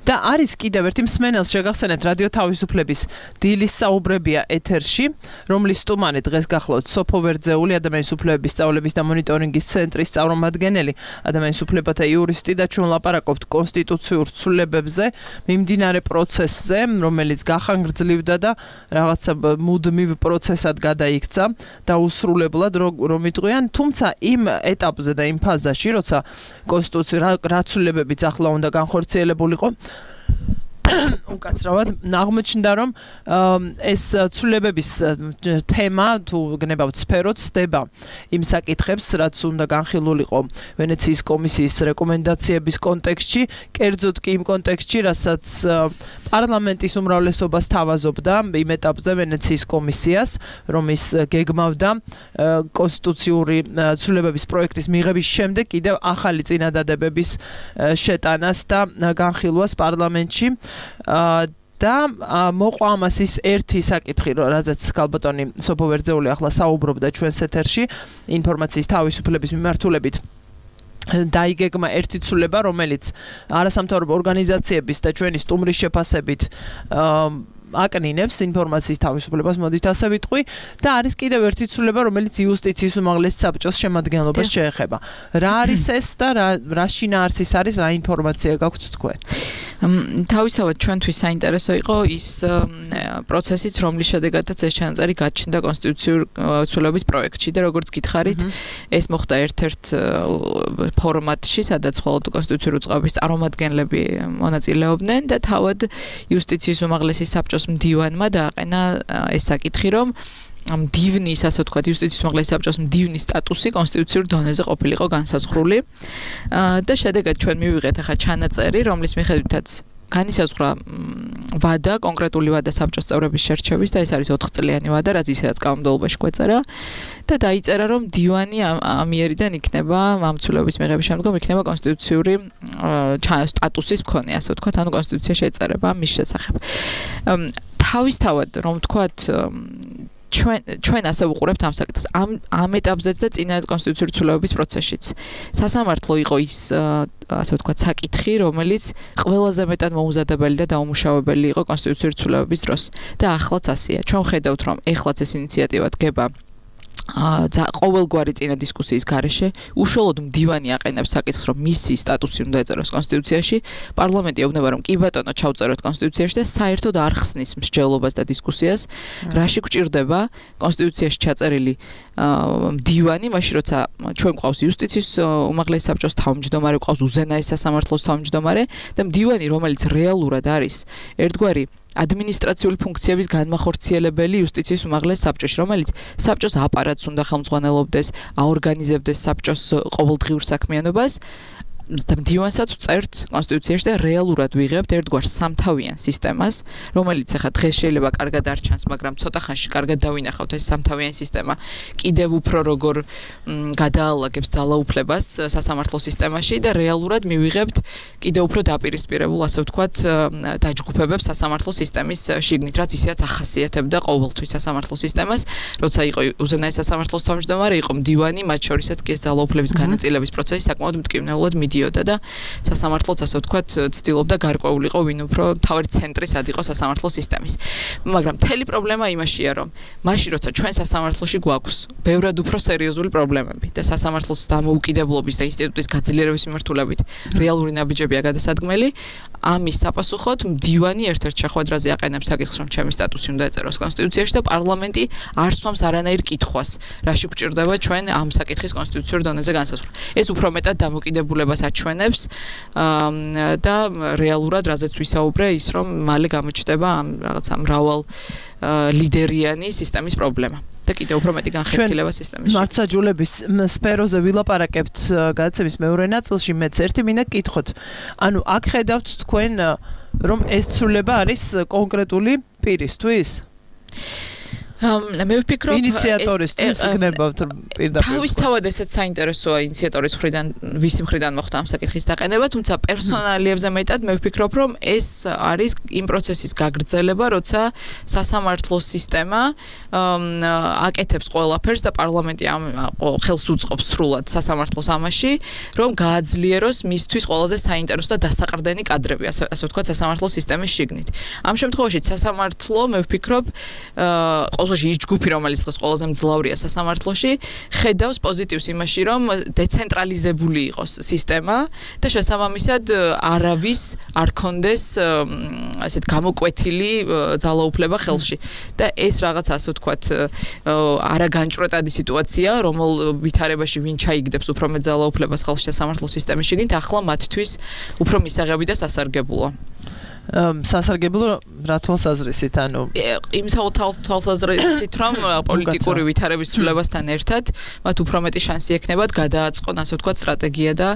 [SPEAKER 2] და არის კიდევ ერთი მსმენელს შეგახსენებთ რადიო თავისუფლების დილის საუბრებია ეთერში, რომლის სტუმარი დღეს გახლავთ სოფო ვერძეული, ადამიანის უფლებების სწავლების და მონიტორინგის ცენტრის წარმომადგენელი, ადამიანის უფლებათა იურისტი და ჩვენ ლაპარაკობთ კონსტიტუციურ ცვლილებებზე, მიმდინარე პროცესზე, რომელიც გახანგრძლივდა და რაღაცა მუდმივ პროცესად გადაიქცა და უსრულებლად რომ იტყვიან, თუმცა იმ ეტაპზე და იმ ფაზაში, როცა კონსტიტუცია რა ცვლილებებიც ახლა უნდა განხორციელებულიყო, უკაცრავად აღმოჩნდა, რომ ეს ცვლილებების თემა თუ გნებავთ სფეროც ხდება იმ საკითხებს, რაც უნდა განხილულიყო ვენეციის კომისიის რეკომენდაციების კონტექსტში, კერძოდ კი იმ კონტექსტში, რასაც პარლამენტის უმრავლესობას თავაზობდა იმ ეტაპზე ვენეციის კომისიას, რომ ის გეგმავდა კონსტიტუციური ცვლილებების პროექტის მიღების შემდეგ კიდევ ახალი წინადადებების შეტანას და განხილვას პარლამენტში. და მოყვა ამას ის ერთი საკითხი, რაზეც ქალბატონი სოფო ვერძეული ახლა საუბრობდა ჩვენს ეთერში, ინფორმაციის თავისუფლების მიმართულებით დაიგეგმა ერთი ცვლილება, რომელიც არასამთავრობო ორგანიზაციების და ჩვენი სტუმრის შეფასებით აკნინებს ინფორმაციის თავისუფლებას, მოდით ასე ვიტყვი, და არის კიდევ ერთი ცვლილება, რომელიც იუსტიციის უმაღლეს საბჭოს შემადგენლობას შეეხება. რა არის ეს და რა შინაარსის არის, რა ინფორმაცია გაქვთ თქვენ?
[SPEAKER 7] თავისთავად ჩვენთვის საინტერესო იყო ის პროცესიც, რომლის შედეგადაც ეს ჩანაწერი გაჩნდა კონსტიტუციური ცვლილების პროექტში და როგორც გითხარით, ეს მოხდა ერთ-ერთ ფორმატში, სადაც მხოლოდ კონსტიტუციური უწყების წარმომადგენლები მონაწილეობდნენ და თავად იუსტიციის უმაღლესი საბჭოს მდივანმა დააყენა ეს საკითხი, რომ მდივნის, ასე ვთქვათ, იუსტიციის უმაღლესი საბჭოს მდივნის სტატუსი კონსტიტუციურ დონეზე ყოფილიყო განსაზღვრული და შედეგად ჩვენ მივიღეთ ახლა ჩანაწერი, რომლის მიხედვითაც განისაზღვრა ვადა, კონკრეტული ვადა საბჭოს წევრების შერჩევის და ეს არის 4 წლიანი ვადა, რაც ისედაც კანონმდებლობაში გვეწერა და დაიწერა, რომ დივანი ამიერიდან იქნება მამცულების მიღების შემდგომ იქნება კონსტიტუციური სტატუსის მქონე, ასე ვთქვათ, ანუ კონსტიტუციაში ეწერება მის შესახებ. თავისთავად, რომ ვთქვათ, ჩვენ ასე ვუყურებთ ამ საკითხს ამ ეტაპზეც და წინა კონსტიტუციური ცვლილების პროცესშიც. სასამართლო იყო ის ასე ვთქვათ საკითხი, რომელიც ყველაზე მეტად მოუზადებელი და დაუმუშავებელი იყო კონსტიტუციური ცვლილების დროს. და ახლაც ასეა. ჩვენ ვხედავთ, რომ ეხლაც ეს ინიციატივა დგება ყოველგვარი წინა დისკუსიის გარეშე, უშუალოდ მდივანი აყენებს საკითხს, რომ მისი სტატუსი უნდა ეწეროს კონსტიტუციაში, პარლამენტი ეუბნება, რომ კი ბატონო, ჩავწეროთ კონსტიტუციაში და საერთოდ არ ხსნის მსჯელობას და დისკუსიას, რაში გვჭირდება კონსტიტუციაში ჩაწერილი მდივანი, მაშინ როცა ჩვენ გვყავს იუსტიციის უმაღლესი საბჭოს თავმჯდომარე, გვყავს უზენაეს სასამართლოს თავმჯდომარე და მდივანი, რომელიც რეალურად არის ერთგვარი ადმინისტრაციული ფუნქციების განმახორციელებელი იუსტიციის უმაღლეს საბჭოში, რომელიც საბჭოს აპარატს უნდა ხელმძღვანელობდეს, აორგანიზებდეს საბჭოს ყოველდღიურ საქმიანობას და მდივანსაც წერთ კონსტიტუციაში და რეალურად ვიღებთ ერთგვარ სამთავიან სისტემას, რომელიც ახლა დღეს შეიძლება კარგად არ ჩანს, მაგრამ ცოტა ხანში კარგად დავინახავთ ეს სამთავიანი სისტემა კიდევ უფრო როგორ გადაალაგებს ძალაუფლებას სასამართლო სისტემაში და რეალურად მივიღებთ კიდევ უფრო დაპირისპირებულ, ასე ვთქვათ, დაჯგუფებებს სასამართლო სისტემის შიგნით, რაც ისედაც ახასიათებდა ყოველთვის სასამართლო სისტემას, როცა იყო უზენაეს სასამართლოს თავმჯდომარე, იყო მდივანი, მათ შორისაც კი ეს ძალაუფლების განაწილების პროცესი საკმაოდ მტკივნეულად მიდიოდა და სასამართლოც, ასე ვთქვათ, ცდილობდა გარკვეულიყო ვინ უფრო თავი ცენტრისად იყო სასამართლო სისტემის. მაგრამ მთელი პრობლემა იმაშია, რომ მაშინ როცა ჩვენ სასამართლოში გვაქვს ბევრად უფრო სერიოზული პრობლემები და სასამართლოს დამოუკიდებლობის და ინსტიტუტის გაძლიერების მიმართულებით რეალური ნაბიჯებია გადასადგმელი, ამის საპასუხოდ მდივანი ერთ-ერთ შეხვედრაზე აყენებს საკითხს, რომ ჩემი სტატუსი უნდა ეწეროს კონსტიტუციაში და პარლამენტი არ სვამს არანაირ კითხვას, რაში გვჭირდება ჩვენ ამ საკითხის კონსტიტუციურ დონეზე განსაზღვრა. ეს უფრო მეტად დამოკიდებულებას აჩვენებს და რეალურად რაზეც ვისაუბრე, ის რომ მალე გამოჩნდება ამ რაღაცა მრავალ ლიდერიანი სისტემის პრობლემა. და კიდევ უფრო მეტი განხეთქილება სისტემაში.
[SPEAKER 2] მართლმსაჯულების სფეროზე ვილაპარაკებთ გადაცემის მეორე ნაწილში, მეც ერთი მინდა გკითხოთ. ანუ აქ ხედავთ თქვენ, რომ ეს ცვლილება არის კონკრეტული პირისთვის?
[SPEAKER 7] მე ვფიქრობ
[SPEAKER 2] ინიციატორისთვის იქნებავთ პირდაპირ.
[SPEAKER 7] თავისთავად ესეც საინტერესოა ინიციატორის მხრიდან, ვისი მხრიდან მოხდა ამ საკითხის დაყენება, თუმცა პერსონალიებზე მეტად მე ვფიქრობ, რომ ეს არის იმ პროცესის გაგრძელება, როცა სასამართლოს სისტემა აკეთებს ყველაფერს და პარლამენტი ხელს უწყობს სრულად სასამართლოს ამაში, რომ გააძლიეროს მისთვის ყველაზე საინტერესო და დასაყრდენი კადრები, ასე ვთქვათ, სასამართლოს სისტემის შიგნით. ამ შემთხვევაში სასამართლო, მე ვფიქრობ, ის ჯგუფი, რომელიც დღეს ყველაზე მძლავრია სასამართლოში, ხედავს პოზიტივს იმაში, რომ დეცენტრალიზებული იყოს სისტემა და შესაბამისად არავის არ კონდეს ასეთ გამოკვეთილი ძალაუფლება ხელში. და ეს რაღაც, ასე ვთქვათ, არაგანჭვრეტადი სიტუაცია, რომელ ვითარებაში ვინ ჩაიგდებს უფრო მეტ ძალაუფლებას ხელში სასამართლოს სისტემის შიგნით, ახლა მათთვის უფრო მისაღები და სასარგებლოა.
[SPEAKER 2] სასარგებლო რა თვალსაზრისით, ანუ
[SPEAKER 7] იმ თვალსაზრისით, რომ პოლიტიკური ვითარების ცვლილებასთან ერთად მათ უფრო მეტი შანსი ექნებათ გადააწყონ, ასე ვთქვათ, სტრატეგია და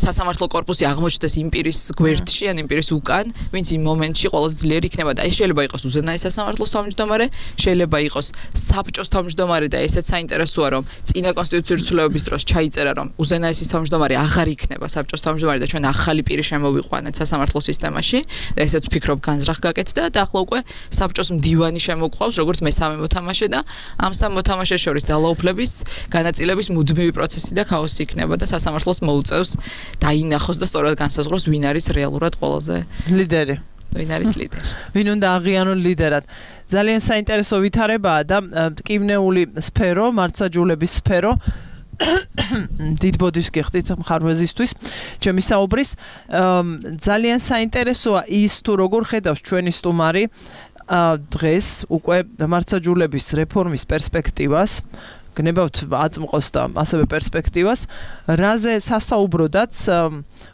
[SPEAKER 7] სასამართლო კორპუსი აღმოჩნდეს იმ პირის გვერდში, ან იმ პირის უკან, ვინც იმ მომენტში ყველაზე ძლიერი იქნება და ეს შეიძლება იყოს უზენაეს სასამართლოს თავმჯდომარე, შეიძლება იყოს საბჭოს თავმჯდომარე და ესეც საინტერესოა, რომ წინა კონსტიტუციური ცვლილებების დროს ჩაიწერა, რომ უზენაესის თავმჯდომარე აღარ იქნება საბჭოს თავმჯდომარე და ჩვენ ახალი პირი შემოვიყვანეთ სასამართლო სისტემაში. და ესეც ვფიქრობ განზრახ გაკეთდა და ახლა უკვე საბჭოს მდივანი შემოგვყავს როგორც მესამე მოთამაშე და ამ სამ მოთამაშეს შორის ძალაუფლების განაწილების მუდმივი პროცესი და ქაოსი იქნება და სასამართლოს მოუწევს დაინახოს და სწორად განსაზღვროს ვინ არის რეალურად ყველაზე ლიდერი. ვინ არის ლიდერი?
[SPEAKER 2] ვინ უნდა აღიარონ ლიდერად? ძალიან საინტერესო ვითარებაა და მტკივნეული სფერო, მართლმსაჯულების სფერო. დიდ ბოდიშს გიხდით მხარვეზისთვის ჩემი საუბრის ძალიან საინტერესოა ის თუ როგორ ხედავს ჩვენი სტუმარი დღეს უკვე მართლმსაჯულების რეფორმის პერსპექტივას გნებავთ აწმყოს და ასევე პერსპექტივას რაზე სასაუბროდაც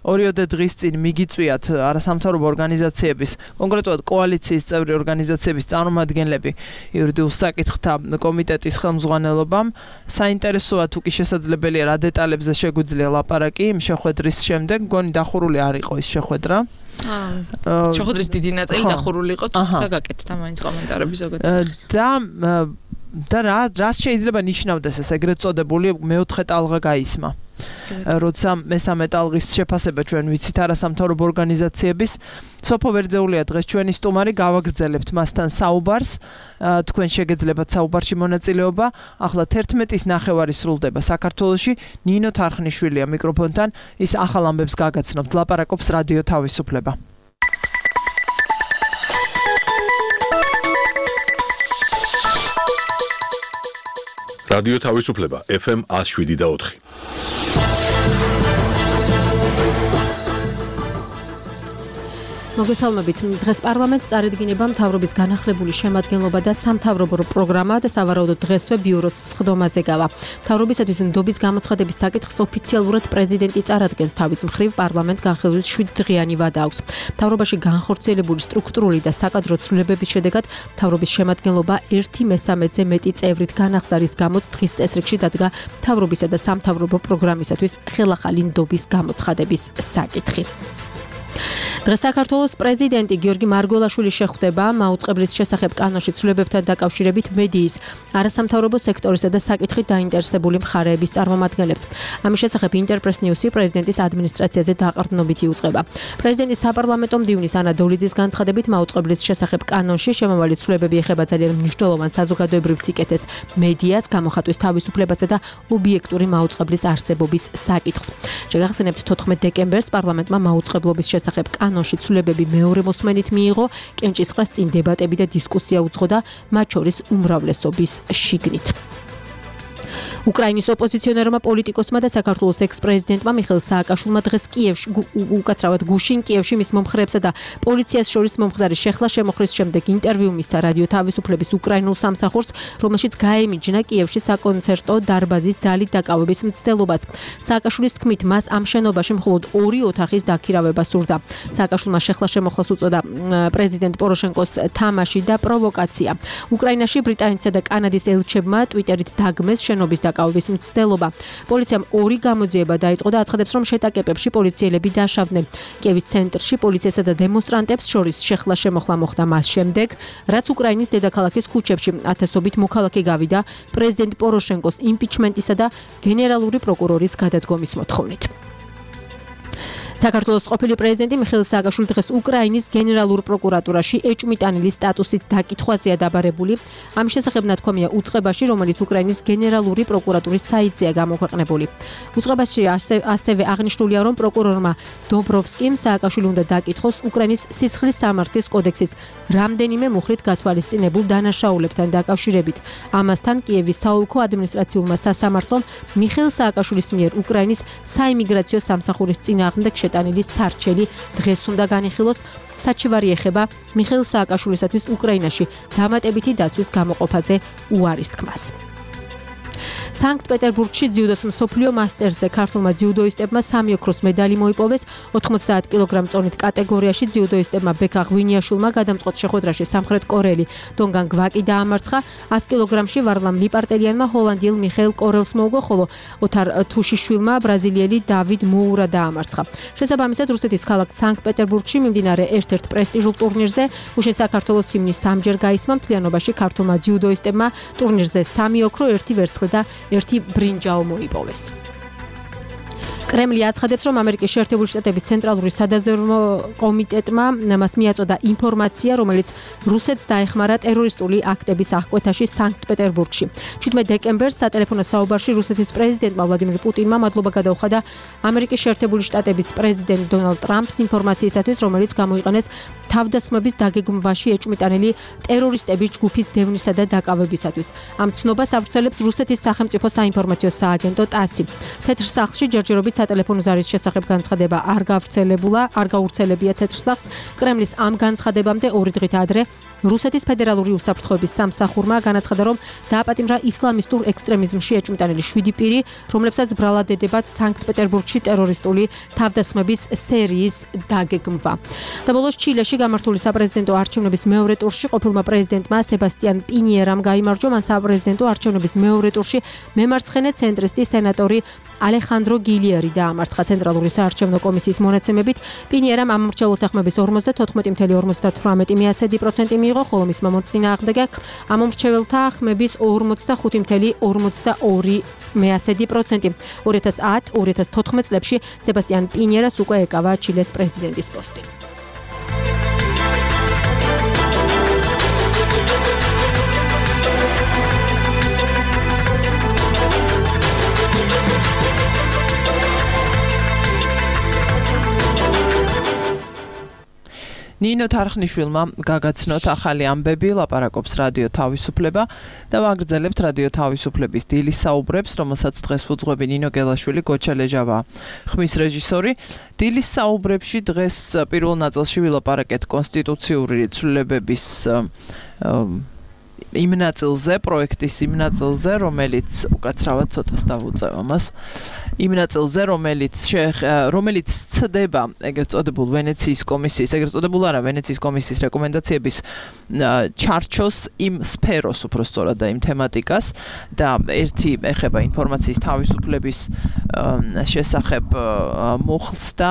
[SPEAKER 2] 2 დღის წინ მიგიწვიათ არასამთავრობო ორგანიზაციების კონკრეტულად კოალიციის წევრი ორგანიზაციების წარმომადგენლები იურიდიულ საკითხთა კომიტეტის ხელმძღვანელობამ საინტერესოა თუ კი შესაძლებელია რა დეტალებზე შეგვიძლია ლაპარაკი იმ შეხვედრის შემდეგ მგონი დახურული არ იყო ის შეხვედრა
[SPEAKER 7] შეხვედრის დიდი ნაწილი დახურული იყო თუმცა გაკეთდა მაინც კომენტარები ზოგადად
[SPEAKER 2] და რას შეიძლება ნიშნავდეს ეს ეგრეთ წოდებული მეოთხე ტალღა გაისმა როცა მესამე ტალღის შეფასება ჩვენ ვიცით არასამთავრობო ორგანიზაციების სოფო ვერძეულია დღეს ჩვენი სტუმარი გავაგრძელებთ მასთან საუბარს თქვენ შეგეძლებათ საუბარში მონაწილეობა ახლა 11-ის ნახევარი სრულდება საქართველოში ნინო თარხნიშვილია მიკროფონთან ის ახალ ამბებს გაგაცნობთ ლაპარაკობს რადიო თავისუფლება
[SPEAKER 1] რადიო თავისუფლება FM 107.4
[SPEAKER 3] მოგესალმებით. დღეს პარლამენტს წარედგინება მთავრობის განახლებული შემადგენლობა და სამთავრობო პროგრამა და სავარაუდოდ დღესვე ბიუროს სხდომაზე გავა. მთავრობისათვის ნდობის გამოცხადების საკითხს ოფიციალურად პრეზიდენტი წარადგენს თავის მხრივ პარლამენტს განხილვის 7 დღიანი ვადა აქვს. მთავრობაში განხორციელებული სტრუქტურული და საკადრო ცვლილებების შედეგად მთავრობის შემადგენლობა 1/3-ზე მეტი წევრით განახლდა, რის გამოც დღის წესრიგში დადგა მთავრობისა და სამთავრობო პროგრამისათვის ხელახალი ნდობის გამოცხადების საკითხი. დღეს საქართველოს პრეზიდენტი გიორგი მარგველაშვილი შეხვდება მაუწყებლის შესახებ კანონში ცვლილებებთან დაკავშირებით მედიის, არასამთავრობო სექტორისა და საკითხით დაინტერესებული მხარეების წარმომადგენლებს. ამის შესახებ ინტერპრეს ნიუსი პრეზიდენტის ადმინისტრაციაზე დაყრდნობით იუწყება. პრეზიდენტის საპარლამენტო მდივნის ანა დოლიძის განცხადებით მაუწყებლის შესახებ კანონში შემავალი ცვლილებები ეხება ძალიან მნიშვნელოვან საზოგადოებრივ სიკეთეს, მედიას, გამოხატვის თავისუფლებასა და ობიექტური მაუწყებლის არსებობის საკითხს. შეგახსენებთ 14 დეკემბერს პარლამენტმა მაუწყებლობის შესახებ კანონში ცვლილებები მეორე მოსმენით მიიღო, კენჭისყრას წინ დებატები და დისკუსია უძღოდა, მათ შორის უმრავლესობის შიგნით. უკრაინის ოპოზიციონერმა პოლიტიკოსმა და საქართველოს ექს-პრეზიდენტმა მიხეილ სააკაშვილმა დღეს კიევში, უკაცრავად გუშინ კიევში მის მომხრეებსა და პოლიციას შორის მომხდარი შეხლა შემოხრის შემდეგ ინტერვიუ მისცა რადიო თავისუფლების უკრაინულ სამსახურს, რომელშიც გაემიჯნა კიევში საკონცერტო დარბაზის ძალით დაკავების მცდელობას. სააკაშვილის თქმით, მას ამ შენობაში მხოლოდ 2 ოთახის დაქირავება სურდა. სააკაშვილმა შეხლა შემოხლას უწოდა პრეზიდენტ პოროშენკოს თამაში და პროვოკაცია. უკრაინაში ბრიტანეთსა და კანადის ელჩებმა ტვიტერით დაგმეს შენობის დაკავების მცდელობა. პოლიციამ 2 გამოძიება დაიწყო და აცხადებს, რომ შეტაკებებში პოლიციელები დაშავდნენ. კიევის ცენტრში პოლიციასა და დემონსტრანტებს შორის შეხლა შემოხლა მოხდა მას შემდეგ, რაც უკრაინის დედაქალაქის ქუჩებში ათასობით მოქალაქე გავიდა პრეზიდენტ პოროშენკოს იმპიჩმენტისა და გენერალური პროკურორის გადადგომის მოთხოვნით. საქართველოს ყოფილი პრეზიდენტი მიხეილ სააკაშვილი დღეს უკრაინის გენერალურ პროკურატურაში ეჭვმიტანილის სტატუსით დაკითხვაზეა დაბარებული. ამის შესახებ ნათქვამია უწყებაში, რომელიც უკრაინის გენერალური პროკურატურის საიტზეა გამოქვეყნებული. უწყებაში ასევე აღნიშნულია, რომ პროკურორმა დობროვსკიმ სააკაშვილი უნდა დაკითხოს უკრაინის სისხლის სამართლის კოდექსის რამდენიმე მუხრით გათვალისწინებულ დანაშაულებთან დაკავშირებით. ამასთან კიევის საოლქო ადმინისტრაციულმა სასამართლომ მიხეილ სააკაშვილის მიერ უკრაინის საიმიგრაციო სამსახურის წინააღმდეგ შეტანილი სარჩელი დღეს უნდა განიხილოს. საჩივარი ეხება მიხეილ სააკაშვილისათვის უკრაინაში დამატებითი დაცვის გამოყოფაზე უარის თქმას. სანქტ-პეტერბურგში ძიუდოს მსოფლიო მასტერზე ქართულმა ძიუდოისტებმა 3 ოქროს медаლი მოიპოვეს. 90 კილოგრამ წონით კატეგორიაში ძიუდოისტებმა ბექა ღვინიაშვილმა გადამწყვეტ შეხვედრაში სამხრეთ კორეელი დონგან გვაკი დაამარცხა. 100 კილოგრამში ვარლამ ლიპარტელიანმა ჰოლანდიელ მიხეილ კორელს მოუგო, ხოლო ოთარ თუშიშვილმა ბრაზილიელი დავიდ მოურა დაამარცხა. შესაბამისად რუსეთის ქალაქ სანქტ-პეტერბურგში მიმდინარე ერთ-ერთ პრესტიჟულ ტურნირზე უშენ საქართველოს ჰიმნის სამჯერ გაისმა. მთლიანობაში ქართულმა ძიუდოისტებმა ტურნირზე 3 ოქრო, 1 ვერცხლი და 1 ბრინჯაო მოიპოვეს. კრემლი აცხადებს, რომ ამერიკის შეერთებული შტატების ცენტრალური სადაზვერვო კომიტეტმა მას მიაწოდა ინფორმაცია, რომელიც რუსეთს დაეხმარა ტერორისტული აქტების აღკვეთაში სანქტ-პეტერბურგში. 17 დეკემბერს სატელეფონო საუბარში რუსეთის პრეზიდენტმა ვლადიმირ პუტინმა მადლობა გადაუხადა ამერიკის შეერთებული შტატების პრეზიდენტ დონალდ ტრამპს ინფორმაციისათვის, რომელიც გამოიყენეს თავდასხმების დაგეგმვაში ეჭვმიტანილი ტერორისტების ჯგუფის დევნისა და დაკავებისათვის. ამ ცნობას ავრცელებს რუსეთის სახელმწიფო საინფორმაციო სააგენტო TASS. თეთრ სახლში ჯერჯერობით სატელეფონო ზარის შესახებ განცხადება არ გავრცელებია თეთრ სახლს. კრემლის ამ განცხადებამდე 2 დღით ადრე რუსეთის ფედერალური უსაფრთხოების სამსახურმა განაცხადა, რომ დააპატიმრა ისლამისტურ ექსტრემიზმში ეჭვმიტანილი 7 პირი, რომლებსაც ბრალად ედებათ სანქტ-პეტერბურგში ტერორისტული თავდასხმების სერიის დაგეგმვა. და ბოლოს ჩილეში გამართული საპრეზიდენტო არჩევნების მეორე ტურში ყოფილმა პრეზიდენტმა სებასტიან პინიერამ გაიმარჯვა. მან საპრეზიდენტო არჩევნების მეორე ტურში მემარცხენე ცენტრისტი სენატორი ალეხანდრო გილიერი დაამარცხა. ცენტრალური საარჩევნო კომისიის მონაცემებით პინიერამ ამომრჩეველთა ხმების 54.98% მიიღო, ხოლო მისმა მოწინააღმდეგე ამომრჩეველთა ხმების 40.52%. 2010-2014 წლებში სებასტიან პინიერას უკვე ეკავა ჩილეს პრეზიდენტის პოსტი.
[SPEAKER 2] ნინო თარხნიშვილმა გაგაცნოთ ახალი ამბები, ლაპარაკობს რადიო თავისუფლება და ვაგრძელებთ რადიო თავისუფლების დილის საუბრებს, რომელსაც დღეს უძღვები ნინო გელაშვილი, გოჩა ლეჟავა, ხმის რეჟისორი. დილის საუბრებში დღეს პირველ ნაწილში ვილაპარაკეთ კონსტიტუციური ცვლილებების იმ ნაწილზე, პროექტის იმ ნაწილზე, რომელიც უკაცრავად ცოტას დავუწევ ამას. იმ ნაწილზე, რომელიც ცდება ეგრეთ წოდებულ ვენეციის კომისიის, ეგრეთ წოდებულ არა, ვენეციის კომისიის რეკომენდაციების ჩარჩოს იმ სფეროს უფრო სწორად და იმ თემატიკას და ერთი ეხება ინფორმაციის თავისუფლების შესახებ მუხლს და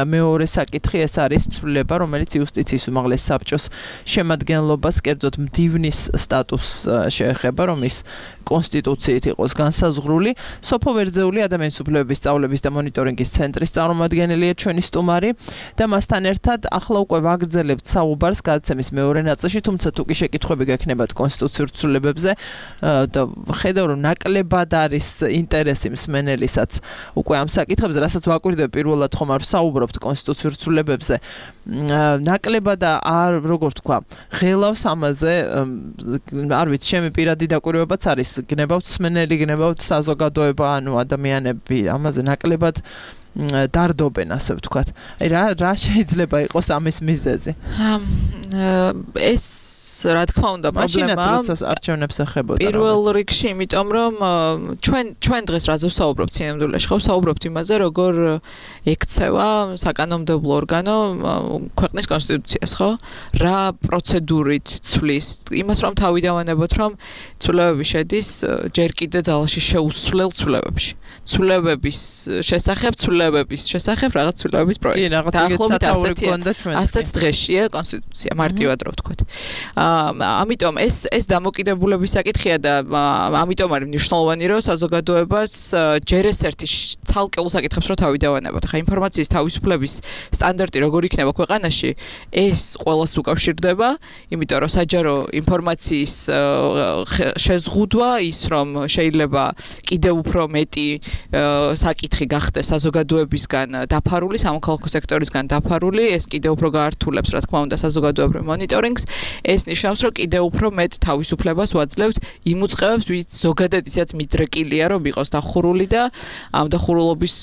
[SPEAKER 2] მეორე საკითხი ეს არის ცვლილება, რომელიც იუსტიციის უმაღლეს საბჭოს შემადგენლობას, კერძოდ მდივნის სტატუსს შეეხება, რომ ის კონსტიტუციით იყოს განსაზღვრული. სოფო ვერძეული ადამიანის უფლებების სწავლების და მონიტორინგის ცენტრის წარმომადგენელია ჩვენი სტუმარი და მასთან ერთად ახლა უკვე ვაგრძელებთ საუბარს გადაცემის მეორე ნაწილში, თუმცა თუ კი შეკითხვები გექნებათ კონსტიტუციურ ცვლილებებზე და ხედავ რომ ნაკლებად არის ინტერესი მსმენელისაც უკვე ამ საკითხებზე, რასაც ვაკვირდებ პირველად ხომ არ საუბრობთ კონსტიტუციურ ცვლილებებზე, ნაკლებად არ როგორ თქვა, ღელავს ამაზე, არ ვიცი, ჩემი პირადი დაკვირვებაც არის, გნებავთ მსმენელი, გნებავთ საზოგადოება, ანუ ადამიანები ამაზე ნაკლებად დარდობენ, ასე ვთქვათ. აი რა შეიძლება იყოს ამის მიზეზი?
[SPEAKER 7] ეს რა თქმა უნდა პრობლემაა.
[SPEAKER 2] როდესაც არჩევნებს ეხებოდა.
[SPEAKER 7] პირველ რიგში, იმიტომ რომ ჩვენ დღეს რაზე ვსაუბრობთ სინამდვილეში, ხო ვსაუბრობთ იმაზე, როგორ ექცევა საკანონმდებლო ორგანო ქვეყნის კონსტიტუციას, ხო? რა პროცედურით ცვლის იმას, რომ თავი დავანებოთ, რომ ცვლილებები შედის ჯერ კიდე ძალაში შეუსვლელ ცვლილებებში. ცვლილებების შესახებ რაღაც ცვლილებების პროექტი.
[SPEAKER 2] დაახლოებით
[SPEAKER 7] ასეთ დღეშია კონსტიტუცია, მარტივად რო ვთქვათ. ამიტომ ეს დამოკიდებულების საკითხია და ამიტომ არის მნიშვნელოვანი, რომ საზოგადოებას ჯერ ეს ერთი ცალკეულ საკითხებს რო თავი დავანებოთ. ხა ინფორმაციის თავისუფლების სტანდარტი როგორ იქნება ქვეყანაში, ეს ყველას უკავშირდება, იმიტომ რომ საჯარო ინფორმაციის შეზღუდვა ის რომ შეიძლება კიდევ უფრო მეტი საკითხი გახდეს საზოგადოებისგან დაფარული, სამოქალაქო სექტორისგან დაფარული, ეს კიდევ უფრო გაართულებს, რა თქმა უნდა, საზოგადოებრივ მონიტორინგს. ეს ნიშნავს, რომ კიდევ უფრო მეტ თავისუფლებას ვაძლევთ იმ უწყებებს, ვინც ზოგადად ისედაც მიდრეკილია, რომ იყოს დახურული და ამ დახურულობის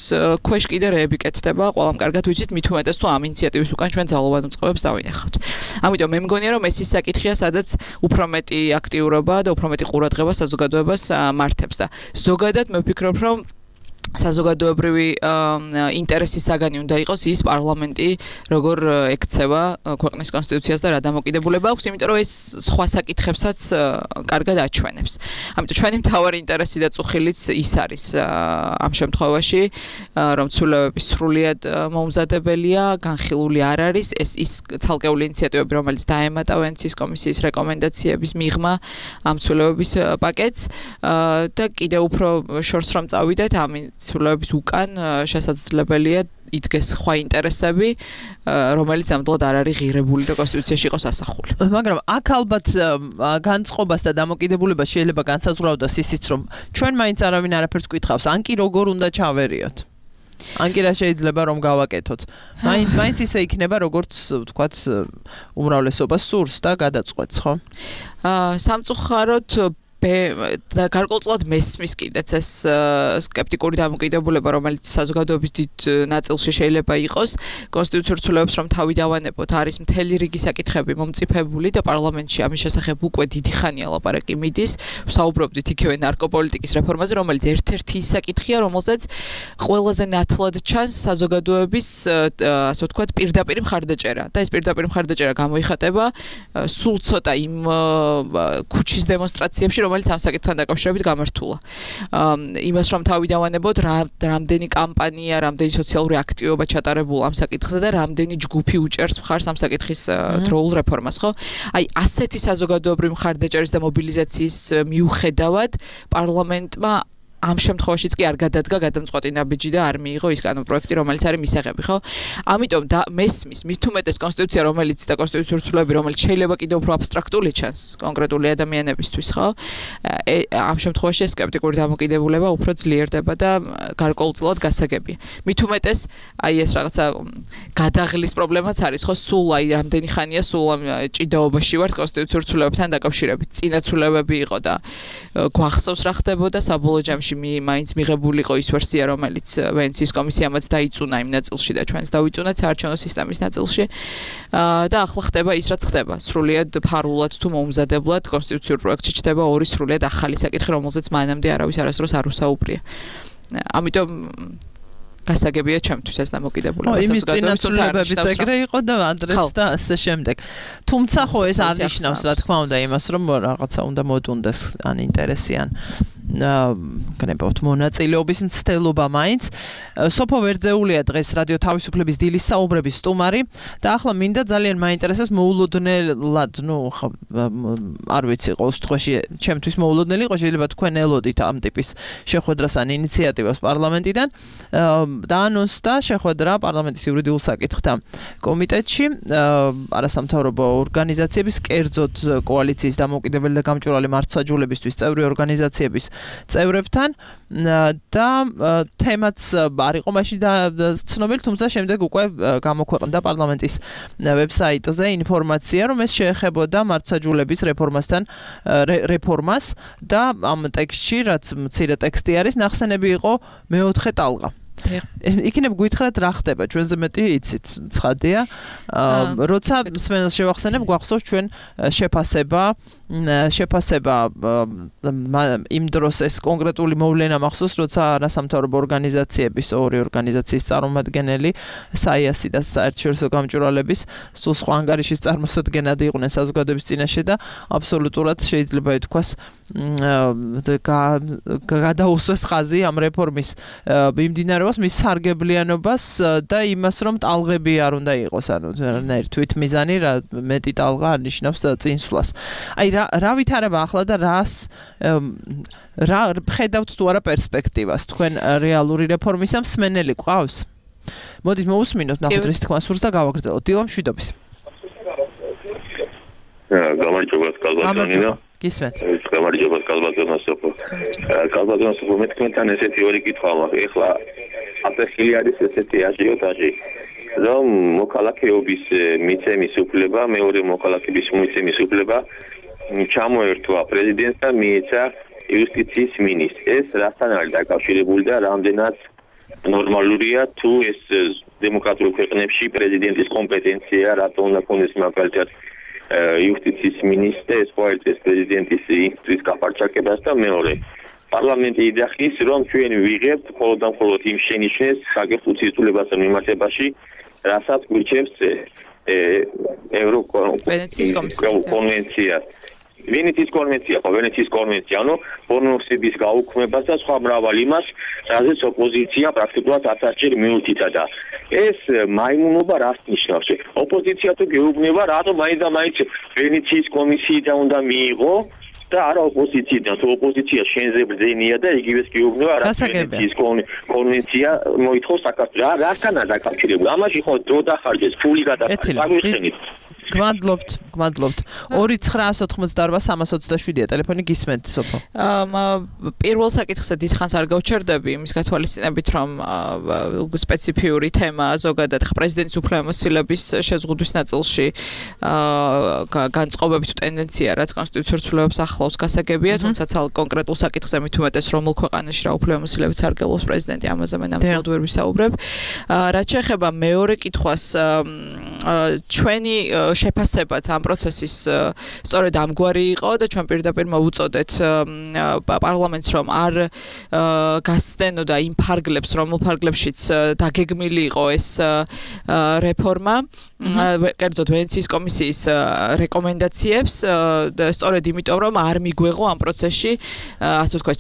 [SPEAKER 7] ქვეშ კიდე რეები კეთდება. ყველამ კარგად ვიცით, მით უმეტეს თუ ამ ინიციატივის უკან ჩვენ ძალოვან უწყებებს დავინახავთ. ამიტომ მე მგონია, რომ ეს ის საკითხია, სადაც უფრო მეტი აქტიურობა და უფრო მეტი ყურადღება საზოგადოებას მართებს და ზოგადად მე ვფიქრობ, რომ საზოგადოებრივი ინტერესის საგანი უნდა იყოს ის პარლამენტი როგორ ექცევა ქვეყნის კონსტიტუციას და რა დამოკიდებულება აქვს, იმიტომ რომ ეს სხვა საკითხებსაც კარგად აჩვენებს. ამიტომ ჩვენი მთავარი ინტერესი და წუხილიც ის არის ამ შემთხვევაში, რომ ცვლილებები სრულიად მომზადებელია, განხილული არ არის, ეს ის ცალკეული ინიციატივები, რომელიც დაემატა ვენეციის კომისიის რეკომენდაციების მიღმა ამ ცვლილებების პაკეტს და კიდევ უფრო შორს რომ წავიდეთ, ცვლილებების უკან შესაძლებელია იდგეს სხვა ინტერესები, რომელიც ამდლად არ არის ღირებული და კონსტიტუციაში იყოს ასახული.
[SPEAKER 2] მაგრამ აქ ალბათ განწყობას და დამოკიდებულებას შეიძლება განსაზღვრავდეს ისიც, რომ ჩვენ მაინც არავინ არაფერს გკითხავს, ან კი როგორ უნდა ჩავერიოთ. ან კი რა შეიძლება რომ გავაკეთოთ. მაინც ისე იქნება, როგორც ვთქვათ, უმრავლესობა სურს და გადაწყვეტს, ხო?
[SPEAKER 7] სამწუხაროდ და გარკვეულწილად მესმის კიდეც ეს სკეპტიკური დამოკიდებულება, რომელიც საზოგადოების დიდ ნაწილში შეიძლება იყოს, კონსტიტუციურ ცვლილებებს რომ თავი დავანებოთ, არის მთელი რიგი საკითხები მომწიფებული და პარლამენტში ამის შესახებ უკვე დიდი ხანია ლაპარაკი მიდის. ვსაუბრობდით იქივე ნარკოპოლიტიკის რეფორმაზე, რომელიც ერთ-ერთი ის საკითხია, რომელზეც ყველაზე ნათლად ჩანს საზოგადოების, ასე ვთქვათ, პირდაპირ მხარდაჭერა. და ეს პირდაპირ მხარდაჭერა გამოიხატება სულ ცოტა იმ ქუჩის დემონსტრაციებში, რომელიც ამ საკითხთან დაკავშირებით გამართულა. იმას რომ თავი დავანებოთ, რამდენი კამპანია, რამდენი სოციალური აქტივობა ჩატარებულა ამ საკითხზე და რამდენი ჯგუფი უჭერს მხარს ამ საკითხის დროულ რეფორმას, ხო? აი, ასეთი საზოგადოებრივი მხარდაჭერის და მობილიზაციის მიუხედავად პარლამენტმა ამ შემთხვევაშიც კი არ გადადგა გადამწყვეტი ნაბიჯი და არ მიიღო ის კანონპროექტი, რომელიც არის მისაღები, ხო? ამიტომ მესმის, მით უმეტეს კონსტიტუცია, რომელიც და კონსტიტუციური ცვლილებები, რომელიც შეიძლება კიდევ უფრო აბსტრაქტული ჩანს კონკრეტული ადამიანებისთვის, ხო? ამ შემთხვევაში ეს სკეპტიკური დამოკიდებულება უფრო ძლიერდება და გარკვეულწილად გასაგებია. მით უმეტეს, აი ეს რაღაცა გადაღლის პრობლემაც არის, ხო? სულ აი რამდენი ხანია სულ ამ ჭიდაობაში ვართ კონსტიტუციურ ცვლილებებთან დაკავშირებით. წინა ცვლილებები იყო და გვახსოვს რა ხდებოდა საბოლოო ჯამში მაინც მიღებულიყო ის ვერსია, რომელიც ვენეციის კომისიამაც დაიწუნა იმ ნაწილში და ჩვენც დავიწუნათ საარჩევნო სისტემის ნაწილში. და ახლა ხდება ის, რაც ხდება. სრულიად ფარულად თუ მოუმზადებლად კონსტიტუციურ პროექტში ჩდება ორი სრულიად ახალი საკითხი, რომელზეც მანამდე არავის არასდროს არ უსაუბრია. ამიტომ გასაგებია ჩემთვის ეს დამოკიდებულება
[SPEAKER 2] საზოგადოების ცვლილებებიც ეგრე იყო და ადრეც და ასე შემდეგ. თუმცა ხო ეს არ ნიშნავს, რა თქმა უნდა, იმას, რომ რაღაცა უნდა მოდუნდეს ან ინტერესი ან განებოთ მონაწილეობის მცდელობა მაინც. სოფო ვერძეულია დღეს რადიო თავისუფლების დილის საუბრების სტუმარი და ახლა მინდა ძალიან მაინტერესებს მოულოდნელად, არ ვიცი, ყოველ შემთხვევაში ჩემთვის მოულოდნელი იყო, შეიძლება თქვენ ელოდით ამ ტიპის შეხვედრას ან ინიციატივას პარლამენტიდან. დაანონსდა შეხვედრა პარლამენტის იურიდიულ საკითხთა კომიტეტში არასამთავრობო ორგანიზაციების, კერძოდ კოალიციის დამოუკიდებელი და გამჭვირვალე მართლმსაჯულებისთვის წევრი ორგანიზაციების წევრებთან და თემაც არ იყო მაშინ ცნობილი, თუმცა შემდეგ უკვე გამოქვეყნდა პარლამენტის ვებსაიტზე ინფორმაცია, რომ ეს შეეხებოდა მართლმსაჯულების რეფორმას და ამ ტექსტში, რაც მცირე ტექსტი არის, ნახსენები იყო მეოთხე ტალღა. იქნებ გითხრათ რა ხდება, ჩვენზე მეტი იცით, ცხადია. როცა მსმენელს შევახსენებ, გვახსოვს ჩვენ შეფასება იმ დროს ეს კონკრეტული მოვლენა მახსოვს, როცა არასამთავრობო ორგანიზაციების, ორი ორგანიზაციის წარმომადგენელი, საიასი და საერთაშორისო გამჭვირვალების სულ სხვა ანგარიშის წარმოსადგენლად იყვნენ საზოგადოების წინაშე და აბსოლუტურად შეიძლება ითქვას გადაუსვეს ხაზი ამ რეფორმის მიმდინარეობას, მის სარგებლიანობას და იმას, რომ ტალღები არ უნდა იყოს, ანუ თვით მიზანი რა მეტი ტალღა არ ნიშნავს წინსვლას. აი რა ვითარება ახლა და რა ხედავთ თუ არა პერსპექტივას თქვენ რეალური რეფორმის ამ მსმენელი ყავს? მოდით მოусმინოთ, ნახოთ რის თქმა სურს და გავაგრძელოთ. დილა მშვიდობის.
[SPEAKER 8] გამარჯობა კალბატონინა.
[SPEAKER 2] გისმენთ.
[SPEAKER 8] გამარჯობა კალბატონა სოფო. კალბატონა სოფო მეთქმენთან ესეთი ორი კითხვა მაქვს. ეხლა აპრეხილი არის ესეთი აჟიოტაჟი. რომ მოქალაქეობის მიცემის უფლება, მეორე მოქალაქეობის მიცემის უფლება ჩამოერთვა პრეზიდენტს და მიეცა იუსტიციის მინისტრს. ეს რასთან არის დაკავშირებული და რამდენად ნორმალურია თუ ეს დემოკრატიულ ქვეყნებში პრეზიდენტის კომპეტენცია, რატომ უნდა ქონდეს მაგალითად იუსტიციის მინისტრი, ეს ხო არის პრეზიდენტის ინსტიტუტის გაფარჩაკებას და მეორე პარლამენტი იძახის, რომ ჩვენ ვიღებთ მხოლოდ და მხოლოდ იმ შენიშვნებს საკითხის უწულებასთან მიმართებაში, რასაც გვიჩევს
[SPEAKER 7] ვენეციის
[SPEAKER 8] კონვენცია. ვენეციის კონვენცია, ანუ პორნოგრაფიის გაუქმებას და სხვა მრავალ იმას, რაზეც ოპოზიცია პრაქტიკულად 1000-ჯერ მიუთითა და ეს მაიმუნობა რას ნიშნავს? ოპოზიცია თუ გეუბნება, რატომ მაინც და მაინც ვენეციის კომისიიდან უნდა მიიღო და არა ოპოზიციიდან. თუ ოპოზიცია შენზე ბრძენია და იგივეს გეუბნება რასაკეთების კონვენცია მოითხოვს საქართველოს. რასთანაა დაკავშირებული? ამაში ხო დრო დახარჯეს, ფული გადაფარეს. აგვიხსენით.
[SPEAKER 2] გმადლობთ. 2-988-327-ია ტელეფონი გისმენთ სოფო.
[SPEAKER 7] პირველ საკითხზე დიდხანს არ გავჩერდები იმის გათვალისწინებით, რომ სპეციფიური თემა ზოგადად პრეზიდენტის უფლებამოსილების შეზღუდვის ნაწილში განწყობები თუ ტენდენცია, რაც კონსტიტუციურ ცვლილებებს ახლავს გასაგებია, თუმცა კონკრეტულ საკითხზე მით უმეტეს რომელ ქვეყანაში რა უფლებამოსილებებს არგელობს პრეზიდენტი, ამაზე მე ნამდვილად ვერ ვისაუბრებ. რაც შეეხება მეორე კითხვას, ჩვენი შეფასებაც ამ პროცესის სწორედ ამგვარი იყო და ჩვენ პირდაპირ მოვუწოდეთ პარლამენტს, რომ არ გასცდენოდა იმ ფარგლებს, რომელ ფარგლებშიც დაგეგმილი იყო ეს რეფორმა, კერძოდ ვენეციის კომისიის რეკომენდაციებს და სწორედ იმიტომ, რომ არ მიგვეღო ამ პროცესში, ასე ვთქვათ,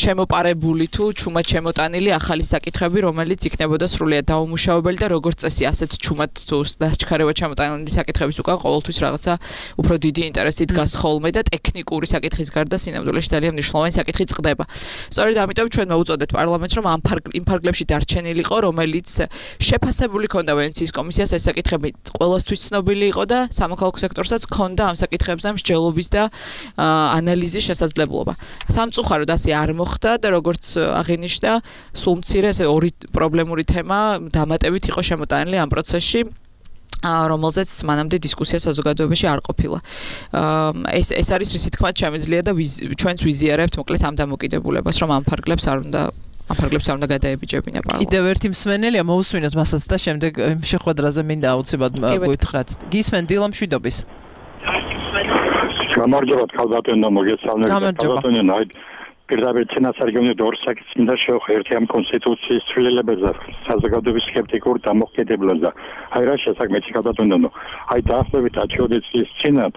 [SPEAKER 7] შემოპარებული თუ ჩუმად შემოტანილი ახალი საკითხები, რომელიც იქნებოდა სრულიად დაუმუშავებელი და როგორც წესი, ასეთ ჩუმად თუ დასჩქარებად შემოტანილი საკითხების უკან ყოველთვის რაღაცა უფრო დიდი ინტერესი დგას ხოლმე და ტექნიკური საკითხის გარდა სინამდვილეში ძალიან მნიშვნელოვანი საკითხი წყდება. სწორედ ამიტომ ჩვენ მოვუწოდეთ პარლამენტს, რომ იმ ფარგლებში დარჩენილიყო, რომელიც შეფასებული ქონდა ვენეციის კომისიას, ეს საკითხები ყველასთვის ცნობილი იყო და სამოქალაქო სექტორსაც ქონდა ამ საკითხებზე მსჯელობის და ანალიზის შესაძლებლობა. სამწუხაროდ ასე არ მოხდა და როგორც აღინიშნა, სულ მცირე ესე ორი პრობლემური თემა დამატებით იყო შემოტანილი ამ პროცესში, რომელზეც მანამდე დისკუსია საზოგადოებაში არ ყოფილა. ეს არის რისი თქმაც შემიძლია და ჩვენც ვიზიარებთ მოკლედ ამ დამოკიდებულებას, რომ ამ ფარგლებს არ უნდა გადაებიჯებინა პარლამენტს.
[SPEAKER 2] კიდევ ერთი მსმენელია, მოусმინოთ მასაც და შემდეგ შეხვედრაზე მინდა აუცილებლად გვითხრათ. გისმენ დილა მშვიდობის.
[SPEAKER 9] გამარჯობა ქალბატონო, მოგესალმებით. ქალბატონო, პირდაპირ წინასარგებლად ორ საკითხს მინდა შევხვი. ერთი ამ კონსტიტუციის ცვლილებებზე, საზოგადოების სკეპტიკურ დამოუკიდებლობაზე. რა შესაძლოა ქალბატონო, დაახლოებით 10 წლის წინათ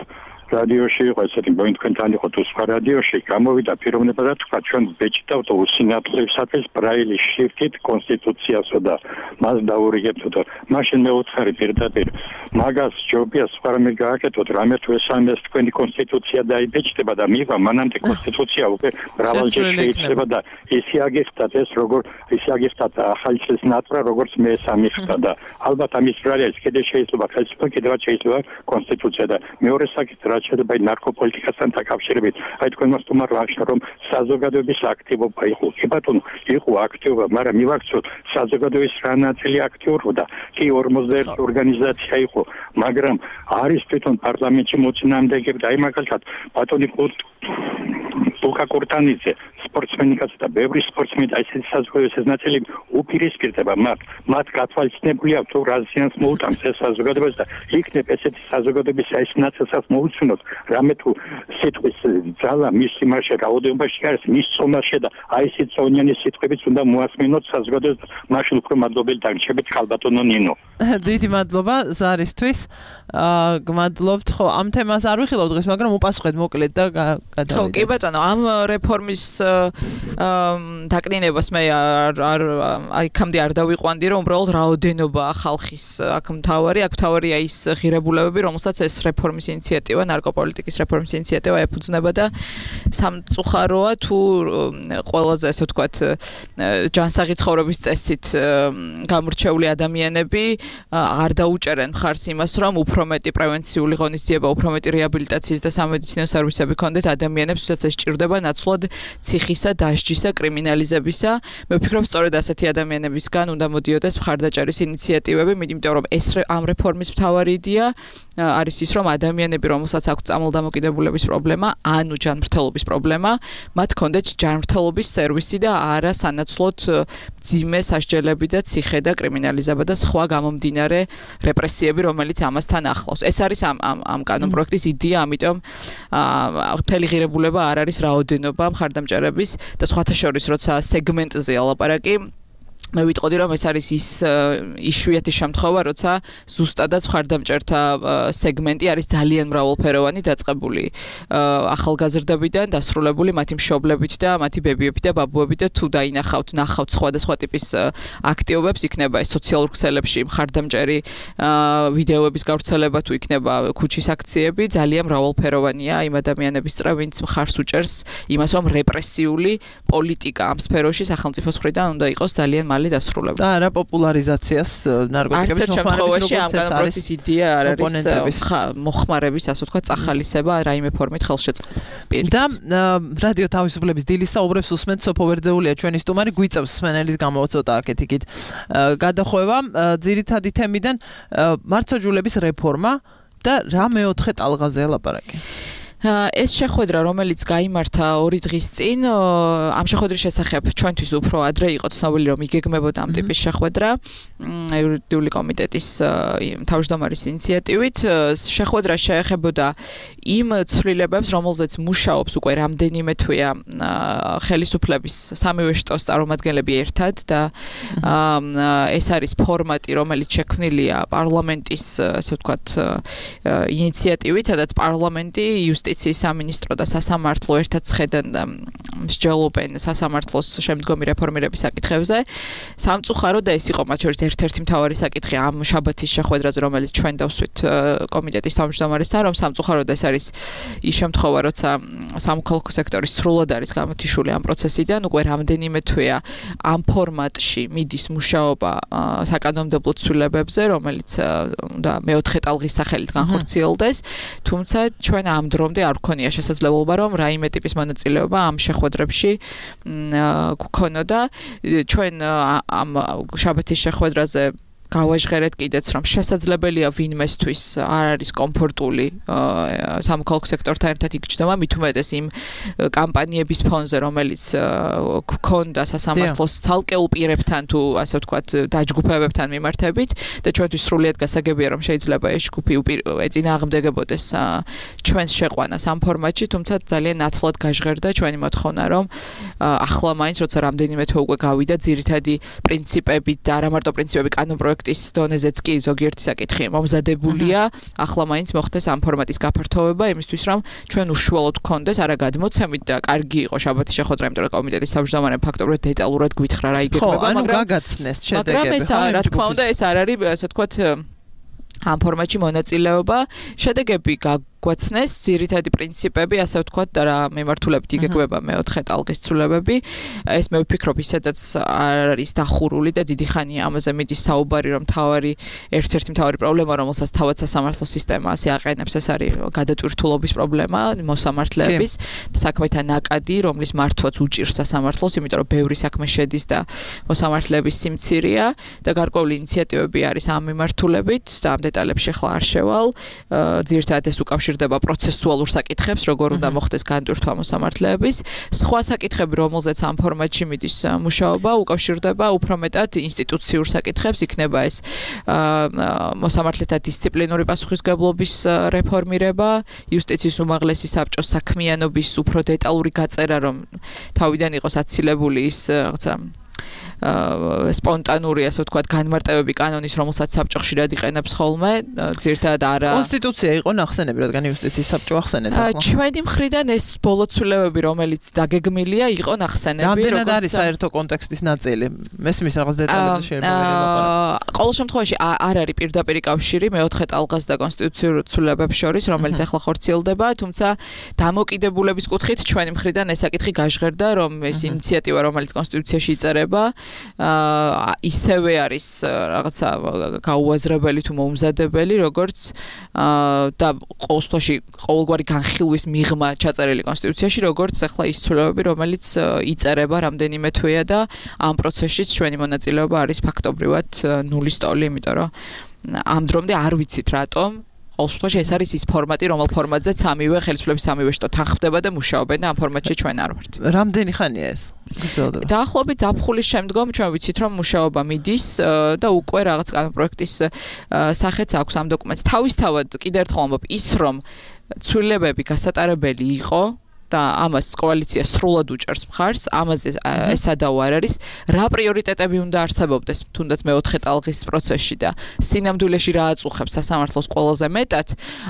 [SPEAKER 9] რადიოში იყო ესეთი მოინ თქვენთან იყო თუ სხვა რადიოში გამოვიდა პიროვნება და თქვა ჩვენ ბეჭდავთ უსინათლისათვის ბრაილის შრიფტით კონსტიტუციასო და მას დაურიგებთ და მაშინ მე უცხარი პირდაპირ მაგას ჯობია სხვა რამე გააკეთოთ რამე თუ ესამეს თქვენი კონსტიტუცია დაიბეჭდება და მივა მანამდე კონსტიტუცია უკვე მრავალჯერ შეიძლება და ისე აგიხსნათ ეს როგორ ისე აგიხსნათ ახალი წლის ნატრა როგორც მე სამიხსნა და ალბათ ამის ბრალია კიდე შეიძლება ხელისუფლება კიდევაც შეიძლება კონსტიტუცია და მეორე საკითხი შეიძლება ნარკოპოლიტიკასთან დაკავშირებით. თქვენ მას თუმარ ვახშა რომ საზოგადოების აქტივობა იყო. კი ბატონო, იყო აქტივობა, მაგრამ მივაქცევთ საზოგადოების რა ნაწილი აქტიურობდა. კი 41 ორგანიზაცია იყო, მაგრამ არის თვითონ პარლამენტში მოწინააღმდეგეები და მაგალითად ბატონი ლუკა კურტანიძე სპორტსმენი კაცი და ბევრი სპორტსმენი და ესეთი საზოგადოების ნაწილი უპირისპირდება მათ გათვალისწინებული აქვს თუ რა ზიანს მოუტანს ეს საზოგადოებას და იქნებ ესეთი საზოგადოების ეს ნაწილსაც მოუწვნოთ რამე თუ სიტყვის ძალა მის იმაში რაოდენობაში არის მის წონაში და ეს წონიანი სიტყვებიც უნდა მოასმინოთ საზოგადოებას მაშინ უფრო მადლობელი დაგრჩებით ქალბატონო ნინო.
[SPEAKER 2] დიდი მადლობა ზარისთვის. გმადლობთ. ხო, ამ თემას არ ვიხილავ დღეს, მაგრამ უპასუხეთ მოკლედ და გადავიდეთ.
[SPEAKER 7] ხო, კი ბატონო, ამ რეფორმის დაკნინებას მე იქამდე არ დავიყვანდი, რომ უბრალოდ რაოდენობაა ხალხის აქ მთავარია ის ღირებულებები, რომელსაც ეს რეფორმის ინიციატივა, ნარკოპოლიტიკის რეფორმის ინიციატივა ეფუძნება და სამწუხაროა თუ ყველაზე ასე ვთქვათ ჯანსაღი ცხოვრების წესით გამორჩეული ადამიანები არ დაუჭერენ მხარს იმას, რომ უფრო მეტი პრევენციული ღონისძიება, უფრო მეტი რეაბილიტაციის და სამედიცინო სერვისები ქონდეთ ადამიანებს, ვისაც ეს ჭირდება ნაცვლად ციხისა, დასჯისა, კრიმინალიზებისა. მე ვფიქრობ, სწორედ ასეთი ადამიანებისგან უნდა მოდიოდეს მხარდაჭერის ინიციატივები, იმიტომ რომ ეს ამ რეფორმის მთავარი იდეა არის ის, რომ ადამიანები, რომელსაც აქვთ წამალდამოკიდებულების პრობლემა, ანუ ჯანმრთელობის პრობლემა, მათ ქონდეთ ჯანმრთელობის სერვისი და არა სანაცვლოდ მძიმე სასჯელები და ციხე და კრიმინალიზება და სხვა გამომდინარე რეპრესიები, რომელიც ამასთან ახლავს. ეს არის ამ კანონპროექტის იდეა, ამიტომ მთელი ღირებულება არ არის რაოდენობა მხარდამჭერების და სხვათა შორის, როცა სეგმენტზე ალაპარაკი მე ვიტყოდი რომ ეს არის ის იშვიათი შემთხვევა, როცა ზუსტადაც მხარდამჭერთა სეგმენტი არის ძალიან მრავალფეროვანი, დაწყებული ახალგაზრდებიდან, დასრულებული მათი მშობლებით და მათი ბებიებით და ბაბუებით და თუ დაინახავთ, ნახავთ სხვადასხვა ტიპის აქტივობებს, იქნება ეს სოციალურ ქსელებში მხარდამჭერი ვიდეოების გავრცელება, თუ იქნება ქუჩის აქციები, ძალიან მრავალფეროვანია იმ ადამიანების წრე, ვინც მხარს უჭერს იმას, რომ რეპრესიული პოლიტიკა ამ სფეროში სახელმწიფოს მხრიდან უნდა იყოს ძალიან მალე დასრულება.
[SPEAKER 2] და არა პოპულარიზაციას ნარკოტიკების
[SPEAKER 7] მოხმარების ამ განპროექტის იდეა არ არის მოხმარების, ასე ვთქვათ, წახალისება რაიმე ფორმით ხელშეწყობა.
[SPEAKER 2] და რადიო თავისუფლების დილის საუბრებს უსმენთ სოფო ვერძეულია ჩვენი სტუმარი, გვიწევს სმენელის გამოცოტა აქეთ-იქით გადახვევა ძირითადი თემიდან მართლმსაჯულების რეფორმა და რა მეოთხე ტალღაზე ლაპარაკი.
[SPEAKER 7] ეს შეხვედრა, რომელიც გაიმართა 2 დღის წინ, ამ შეხვედრის შესახებ ჩვენთვის უფრო ადრე იყო ცნობილი, რომ იგეგმებოდა ამ ტიპის შეხვედრა იურიდიული კომიტეტის თავმჯდომარის ინიციატივით. შეხვედრა შეეხებოდა იმ ცვლილებებს, რომელზეც მუშაობს უკვე რამდენიმე თვეა ხელისუფლების სამივე შტოს წარმომადგენლები ერთად და ეს არის ფორმატი, რომელიც შექმნილია პარლამენტის, ასე ვთქვათ, ინიციატივით, სადაც პარლამენტი იუსტიციის სამინისტრო და სასამართლო ერთად ცხედენ და მსჯელობენ სასამართლოს შემდგომი რეფორმირების საკითხებზე. სამწუხაროდ და ეს იყო მათ შორის ერთ-ერთი მთავარი საკითხი ამ შაბათის შეხვედრაზე, რომელიც ჩვენ დავსვით კომიტეტის თავმჯდომარესთან, რომ სამწუხაროდ ეს არის ის შემთხვევა, როცა სამოქალაქო სექტორის სრულად არის გამოთიშული ამ პროცესიდან, უკვე რამდენიმე თვეა ამ ფორმატში მიდის მუშაობა საკანონმდებლო ცვლილებებზე, რომელიც უნდა მეოთხე ტალღის სახელით განხორციელდეს, თუმცა ჩვენ ამ დრომდე არ გქონია შესაძლებლობა, რომ რაიმე ტიპის მონაწილეობა ამ შეხვედრებში გქონოდა. ჩვენ ამ შაბათის შეხვედრაზე გავაჟღერეთ კიდეც, რომ შესაძლებელია ვინმესთვის არ არის კომფორტული სამოქალაქო სექტორთან ერთად იგრძნობა, მით უმეტეს იმ კამპანიების ფონზე, რომელიც გქონდა სასამართლოს ცალკეულ პირებთან თუ ასე ვთქვათ დაჯგუფებებთან მიმართებით და ჩვენთვის სრულიად გასაგებია, რომ შეიძლება ეს ჯგუფი ეწინააღმდეგებოდეს ჩვენს შეყვანას ამ ფორმატში, თუმცა ძალიან ნათლად გაჟღერდა ჩვენი მოთხოვნა, რომ ახლა მაინც როცა რამდენიმე თვე უკვე გავიდა ძირითადი პრინციპები და არა მარტო პრინციპები კანონპროექტის დონეზეც კი ზოგიერთი საკითხი მომზადებულია, ახლა მაინც მოხდეს ამ ფორმატის გაფართოვება, იმისთვის რომ ჩვენ უშუალოდ გქონდეს არა გადმოცემით და კარგი იყო შაბათის შეხვედრა, იმიტომ რომ კომიტეტის თავმჯდომარემ ფაქტობრივად დეტალურად გვითხრა რა იგეგმება,
[SPEAKER 2] მაგრამ გაგაცნეს შედეგები.
[SPEAKER 7] მაგრამ ეს რა თქმა უნდა ეს არ არის, ასე ვთქვათ, ამ ფორმატში მონაწილეობა, შედეგები გვაცნეს ძირითადი პრინციპები, ასე ვთქვათ, და რა მიმართულებით იგეგმება მეოთხე ტალღის ცვლილებები. ეს მე ვფიქრობ, ისედაც არ არის დახურული და დიდი ხანია ამაზე მიდის საუბარი, რომ ერთ-ერთი მთავარი პრობლემა, რომელსაც თავად სასამართლო სისტემა ასე აყენებს, ეს არის გადატვირთულობის პრობლემა მოსამართლეების და საქმეთა ნაკადი, რომლის მართვაც უჭირს სასამართლოს, იმიტომ რომ ბევრი საქმე შედის და მოსამართლეების სიმცირეა და გარკვეული ინიციატივები არის ამ მიმართულებით და ამ დეტალებში ახლა არ შევალ. ძირითადად ეს უკავშირდება პროცესუალურ საკითხებს, როგორ უნდა მოხდეს განტვირთვა მოსამართლეების. სხვა საკითხები, რომელზეც ამ ფორმატში მიდის მუშაობა, უკავშირდება უფრო მეტად ინსტიტუციურ საკითხებს, იქნება ეს მოსამართლეთა დისციპლინური პასუხისმგებლობის რეფორმირება, იუსტიციის უმაღლესი საბჭოს საქმიანობის უფრო დეტალური გაწერა, რომ თავიდან იყოს აცილებული ის რაღაცა სპონტანური, ასე ვთქვათ, განმარტებები კანონის, რომელსაც საბჭო ხშირად იყენებს ხოლმე, ძირითადად არა.
[SPEAKER 2] კონსტიტუცია იყო ნახსენები, რადგან იუსტიციის საბჭო ახსენეთ ახლა.
[SPEAKER 7] ჩვენი მხრიდან ეს ბოლო ცვლილებები, რომელიც დაგეგმილია, იყო ნახსენები,
[SPEAKER 2] რამდენად არის საერთო კონტექსტის ნაწილი? მესმის რაღაც დეტალებზე შეიძლება
[SPEAKER 7] ვიყო. ყოველ შემთხვევაში არ არის პირდაპირი კავშირი მეოთხე ტალღას და კონსტიტუციურ ცვლილებებს შორის, რომელიც ახლა ხორციელდება, თუმცა დამოკიდებულების კუთხით ჩვენი მხრიდან ეს საკითხი გაჟღერდა, რომ ეს ინიციატივა, რომელიც კონსტიტუციაში იწერება, ისევე არის რაღაცა გაუაზრებელი თუ მოუმზადებელი, როგორც და ყოველთვის ყოველგვარი განხილვის მიღმა ჩაწერილი კონსტიტუციაში, როგორც ახლა ის ცვლილებები, რომელიც იწერება რამდენიმე თვეა და ამ პროცესშიც ჩვენი მონაწილეობა არის ფაქტობრივად ნულის ტოლი, იმიტომ რომ ამ დრომდე არ ვიცით რატომ ყოველთვის ეს არის ის ფორმატი, რომელ ფორმატზეც სამივე ხელისუფლების სამივე შტო თანხმდება და მუშაობენ და ამ ფორმატში ჩვენ არ ვართ.
[SPEAKER 2] რამდენი ხანია ეს?
[SPEAKER 7] დაახლოებით ზაფხულის შემდგომ ჩვენ ვიცით, რომ მუშაობა მიდის და უკვე რაღაც კანონპროექტის სახეც აქვს ამ დოკუმენტს. თავისთავად კიდევ ერთხელ ვამბობ, ის რომ ცვლილებები გასატარებელი იყო და ამას კოალიცია სრულად უჭერს მხარს, ამაზე ესადაო არ არის, რა პრიორიტეტები უნდა არსებობდეს, თუნდაც მეოთხე ტალღის პროცესში და სინამდვილეში რა აწუხებს სასამართლოს ყველაზე მეტად,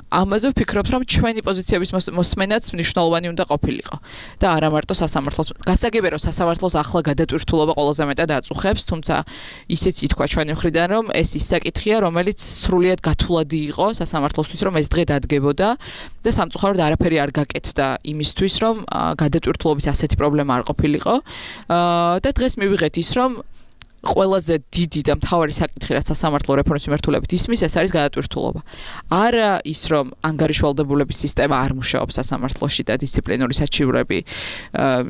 [SPEAKER 7] ამაზე ვფიქრობთ, რომ ჩვენი პოზიციების მოსმენაც მნიშვნელოვანი უნდა ყოფილიყო. და არა მარტო სასამართლოს. გასაგებია, რომ სასამართლოს ახლა გადატვირთულობა ყველაზე მეტად აწუხებს, თუმცა ისიც ითქვა ჩვენი მხრიდან, რომ ეს ის საკითხია, რომელიც სრულიად გათვლადი იყო სასამართლოსთვის, რომ ეს დღე დადგებოდა და სამწუხაროდ არაფერი არ გაკეთდა იმისთვის, რომ გადატვირთულობის ასეთი პრობლემა არ ყოფილიყო. და დღეს მივიღეთ ის, რომ ყველაზე დიდი და მთავარი საკითხი, რაც სასამართლო რეფორმის მიმართულებით ისმის, ეს არის გადატვირთულობა. არა ის, რომ ანგარიშვალდებულების სისტემა არ მუშაობს სასამართლოში და დისციპლინური საჩივრები,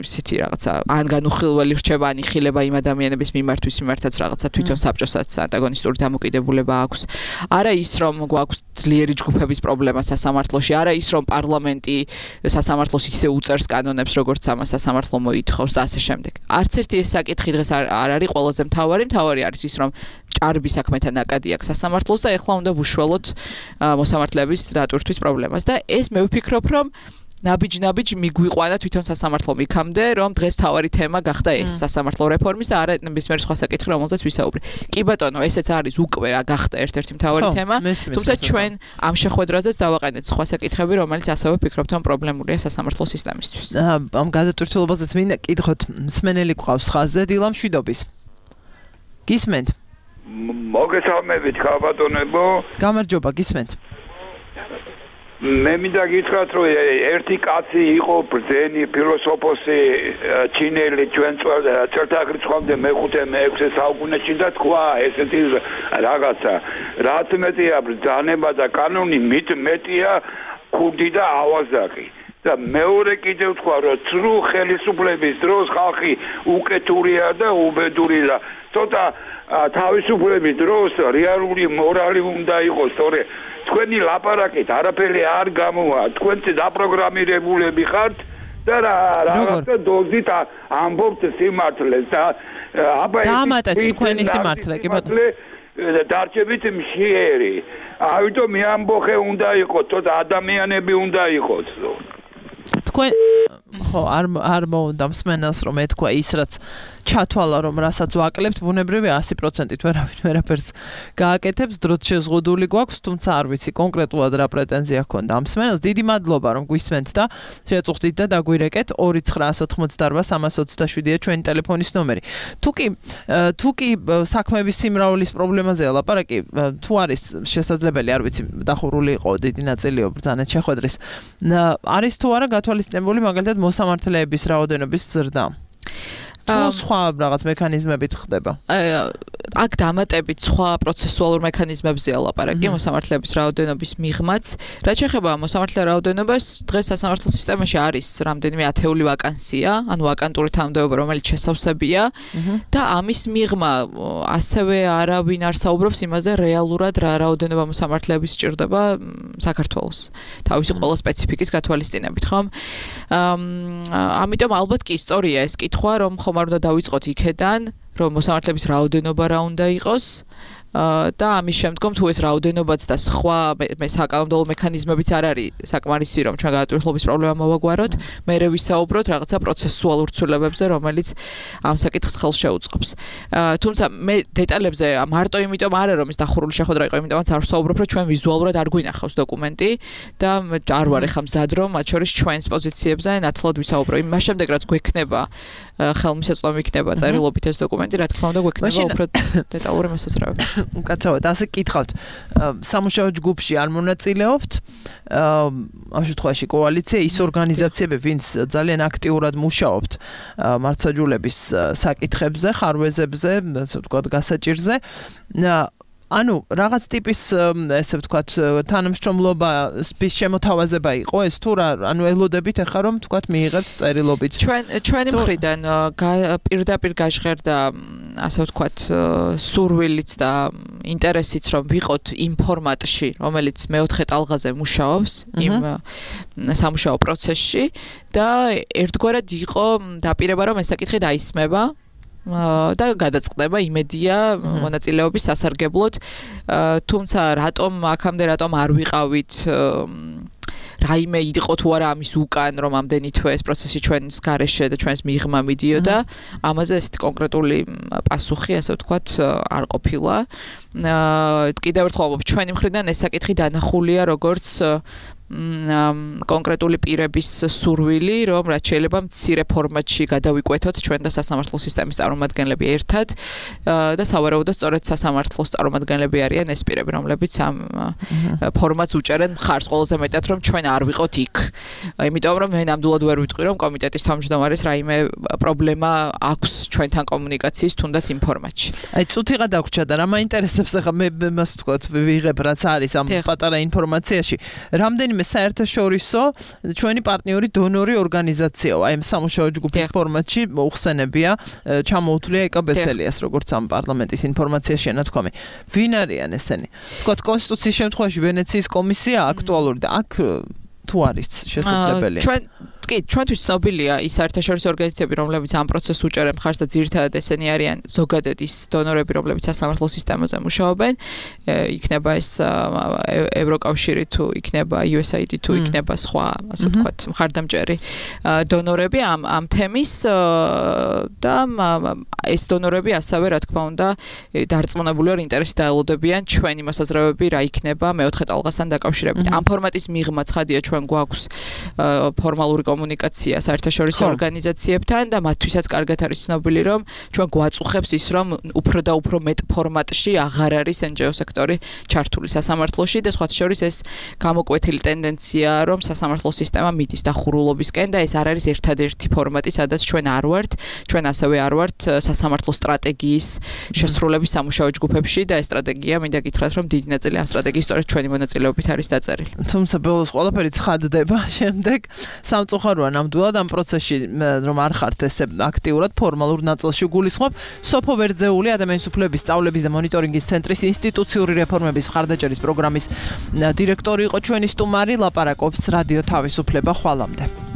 [SPEAKER 7] ისეთი რაღაცა, ან განუხილველი რჩება, ან იხილება იმ ადამიანების მიმართვის, ვიმართაც რაღაცა თვითონ საბჭოსაც ანტაგონისტური დამოკიდებულება აქვს. არა ის, რომ გვაქვს ძლიერი ჯგუფების პრობლემა სასამართლოში, არა ის, რომ პარლამენტი სასამართლოს ისე უწერს კანონებს, როგორც ამას სასამართლო მოითხოვს და ასე შემდეგ. არც ერთი ეს საკითხი დღეს არ არის ყველაზე მთავარი არის ის, რომ ჭარბი საქმეთა ნაკადი აქვს სასამართლოს და ეხლა უნდა ვუშველოთ მოსამართლეების დატვირთვის პრობლემას და ეს მე ვფიქრობ, რომ ნაბიჯ მიგვიყვანა თვითონ სასამართლომ იქამდე, რომ დღეს მთავარი თემა გახდა ეს სასამართლო რეფორმის და არა ნებისმიერი სხვა საკითხი, რომელზეც ვისაუბრე. კი ბატონო, ესეც არის უკვე გახდა ერთ-ერთი მთავარი თემა, თუმცა ჩვენ ამ შეხვედრაზეც დავაყენეთ სხვა საკითხები, რომელიც ასევე ვფიქრობთ, რომ პრობლემურია სასამართლო სისტემისთვის.
[SPEAKER 2] ამ გადატვირთულობაზეც მინდა კითხოთ, მსმენელი გვყავს ხაზზე, დილა მშვიდობის. გისმენთ?
[SPEAKER 10] მოგესალმებით, ქალბატონებო.
[SPEAKER 2] გამარჯობა, გისმენთ.
[SPEAKER 10] მე მინდა გითხრათ, რომ ერთი კაცი იყო ბრძენი ფილოსოფოსი ჩინელი ჩვენ წელთაღრიცხვამდე მე-5 მე-6 საუკუნეში და თქვა ესეთი რაღაცა, რაც მეტია ბრძანება და კანონი, მით მეტია ქუდი და ავაზაკი. და მეორე კიდევ თქვა, რომ ცრუ ხელისუფლების დროს ხალხი უკეთურია და უბედური და ცოტა თავისუფლების დროს რეალური მორალი უნდა იყოს, თორე თქვენი ლაპარაკით არაფერი არ გამოვა, თქვენ დაპროგრამირებულები ხართ და რაღაცა დოზით ამბობთ სიმართლეს და
[SPEAKER 2] დამატეთ თქვენი სიმართლე, კი ბატონო.
[SPEAKER 10] დარჩებით მშიერი. ამიტომ მე ამბოხე უნდა იყოს, ცოტა ადამიანები უნდა იყოს.
[SPEAKER 2] თქვენ ხო არ მოუნდა მსმენელს რომ ეთქვა ის რაც ჩათვალა რომ რასაც ვაკლებთ ბუნებრივია 100%-ით ვერაფერს გააკეთებს დროც შეზღუდული გვაქვს თუმცა არ ვიცი კონკრეტულად რა პრეტენზია ჰქონდა ამ მსმენელს დიდი მადლობა რომ გვისმენთ და შეწუხდით და დაგვირეკეთ 299882327-ია ჩვენი ტელეფონის ნომერი თუ კი საქმეების სიმრავლის პრობლემაზეა ლაპარაკი თუ არის შესაძლებელი არ ვიცი დახურული იყო დიდი ნაწილი ბრძანეთ შეხვედრის არის თუ არა გათვალისწინებული მაგალითად მოსამართლეების რაოდენობის ზრდა თუ სხვა რაღაც მექანიზმებით ხდება.
[SPEAKER 7] აქ დამატებით სხვა პროცესუალურ მექანიზმებზეა ლაპარაკი მოსამართლეების რაოდენობის მიღმაც. რაც შეეხება მოსამართლე რაოდენობას, დღეს სასამართლო სისტემაში არის რამდენიმე ათეული ვაკანსია, ანუ ვაკანტური თანამდებობა, რომელიც შესავსებია და ამის მიღმა ასევე არავინ არ საუბრობს იმაზე რეალურად რა რაოდენობა მოსამართლეების სჭირდება საქართველოს. თავისი ყველა სპეციფიკის გათვალისწინებით, ხომ? ამიტომ ალბათ კი სწორია ეს კითხვა, რომ ხომ არ უნდა დავიწყოთ იქედან, რომ მოსამართლეების რაოდენობა რა უნდა იყოს და ამის შემდგომ თუ ეს რაოდენობაც და სხვა საკანონმდებლო მექანიზმებიც არ არის საკმარისი რომ ჩვენ გადატვირთულობის პრობლემა მოვაგვაროთ, მერე ვისაუბროთ რაღაცა პროცესუალურ ცვლილებებზე, რომელიც ამ საკითხს ხელს შეუწყობს. თუმცა მე დეტალებზე მარტო იმიტომ არა რომ ეს დახურული შეხვედრა იყო, იმიტომაც არ ვსაუბრობ, რომ ჩვენ ვიზუალურად არ გვინახავს დოკუმენტი და არ ვარ ეხლა მზად რომ მათ შორის ჩვენს პოზიციებზე ნათლად ვისაუბრო. იმას შემდეგ რაც გვექნება ხელმისაწვდომი იქნება წერილობით ეს დოკუმენტი, რა თქმა უნდა გვექნება უფრო დეტალური მოსაზრებები.
[SPEAKER 2] უკაცრავად ასე გითხავთ სამუშაო ჯგუფში არ მონაწილეობთ ამ შემთხვევაში კოალიცია ის ორგანიზაციები ვინც ძალიან აქტიურად მუშაობთ მართლმსაჯულების საკითხებზე ხარვეზებზე ასე ვთქვათ გასაჭირზე ანუ რაღაც ტიპის ესე ვთქვათ თანამშრომლობის შემოთავაზება იყო ეს თუ რა ანუ ელოდებით ახლა რომ ვთქვათ მიიღებთ წერილობით
[SPEAKER 7] ჩვენი მხრიდან პირდაპირ გაჟღერდა ასე ვთქვათ სურვილიც და ინტერესიც რომ ვიყოთ იმ ფორმატში რომელიც მეოთხე ტალღაზე მუშაობს იმ სამუშაო პროცესში და ერთგვარად იყო დაპირება რომ ეს საკითხი დაისმება და გადაწყდება იმედია მონაწილეობის სასარგებლოდ თუმცა რატომ აქამდე რატომ არ ვიყავით რაიმე იყო თუ არა ამის უკან, რომ ამდენი თვე ეს პროცესი ჩვენს გარეშე და ჩვენს მიღმა მიდიოდა, ამაზე ესეთი კონკრეტული პასუხი, ასე ვთქვათ, არ ყოფილა. კიდევ ერთხელ ჩვენი მხრიდან ეს საკითხი დანახულია როგორც კონკრეტული პირების სურვილი, რომ რაც შეიძლება მცირე ფორმატში გადავიკვეთოთ ჩვენ და სასამართლო სისტემის წარმომადგენლები ერთად და სავარაუდოდ სწორედ სასამართლოს წარმომადგენლები არიან ეს პირები, რომლებიც ამ ფორმატს უჭერენ მხარს ყველაზე მეტად, რომ ჩვენ არ ვიყოთ იქ. იმიტომ რომ მე ნამდვილად ვერ ვიტყვი, რომ კომიტეტის თავმჯდომარის რაიმე პრობლემა აქვს ჩვენთან კომუნიკაციის თუნდაც იმ ფორმატში.
[SPEAKER 2] აი წუთიღა დაგვრჩა და რა მაინტერესებს ახლა მე მას ვთქვათ ვიღებ რაც არის ამ პატარა ინფორმაციაში. რამდენიმე საერთაშორისო ჩვენი პარტნიორი დონორი ორგანიზაციაა. აი სამუშაო ჯგუფის ფორმატში მოხსენებია, ჩამოუთვლია ეკაბესელიას, როგორც ამ პარლამენტის ინფორმაციაში ენათქვამი. ვინ არიან ესენი? ვთქვათ კონსტიტუციის შემთხვევაში ვენეციის კომისია აქტუალური და აქ თუ არის შესაძლებელი?
[SPEAKER 7] ჩვენთვის ცნობილია ის საერთაშორისო ორგანიზაციები, რომლებიც ამ პროცესს უჭერენ მხარს და ძირითადად ესენი არიან ზოგადად ის დონორები, რომლებიც სასამართლო სისტემაზე მუშაობენ. იქნება ეს ევროკავშირი თუ იქნება USAID თუ იქნება სხვა, ასე ვთქვათ, მხარდამჭერი დონორები ამ თემის და ეს დონორები ასევე, რა თქმა უნდა, დარწმუნებული ვარ ინტერესით დაელოდებიან ჩვენი მოსაზრებები რა იქნება მეოთხე ტალღასთან დაკავშირებით. ამ ფორმატის მიღმა ცხადია ჩვენ გვაქვს ფორმალური კომუნიკაცია საერთაშორისო ორგანიზაციებთან და მათთვისაც კარგად არის ცნობილი, რომ ჩვენ გვაწუხებს ის, რომ უფრო და უფრო მეტ ფორმატში აღარ არის NGO სექტორი ჩართული სასამართლოში და სხვათა შორის ეს გამოკვეთილი ტენდენცია, რომ სასამართლო სისტემა მიდის დახურულობისკენ და ეს არ არის ერთადერთი ფორმატი, სადაც ჩვენ არ ვართ, ჩვენ ასევე არ ვართ სასამართლო სტრატეგიის შესრულების სამუშაო ჯგუფებში და ეს სტრატეგია მინდა გითხრათ, რომ დიდი ნაწილი ამ სტრატეგიის სწორედ ჩვენი მონაწილეობით არის დაწერილი.
[SPEAKER 2] თუმცა ბოლოს ყველაფერი ცხადდება შემდეგ სამწუხაროა ნამდვილად ამ პროცესში რომ არ ხართ ესე აქტიურად ფორმალურ ნაწილში გულისხმობ. სოფო ვერძეული ადამიანის უფლებების სწავლების და მონიტორინგის ცენტრის ინსტიტუციური რეფორმების მხარდაჭერის პროგრამის დირექტორი იყო ჩვენი სტუმარი, ლაპარაკობს რადიო თავისუფლება. ხვალამდე.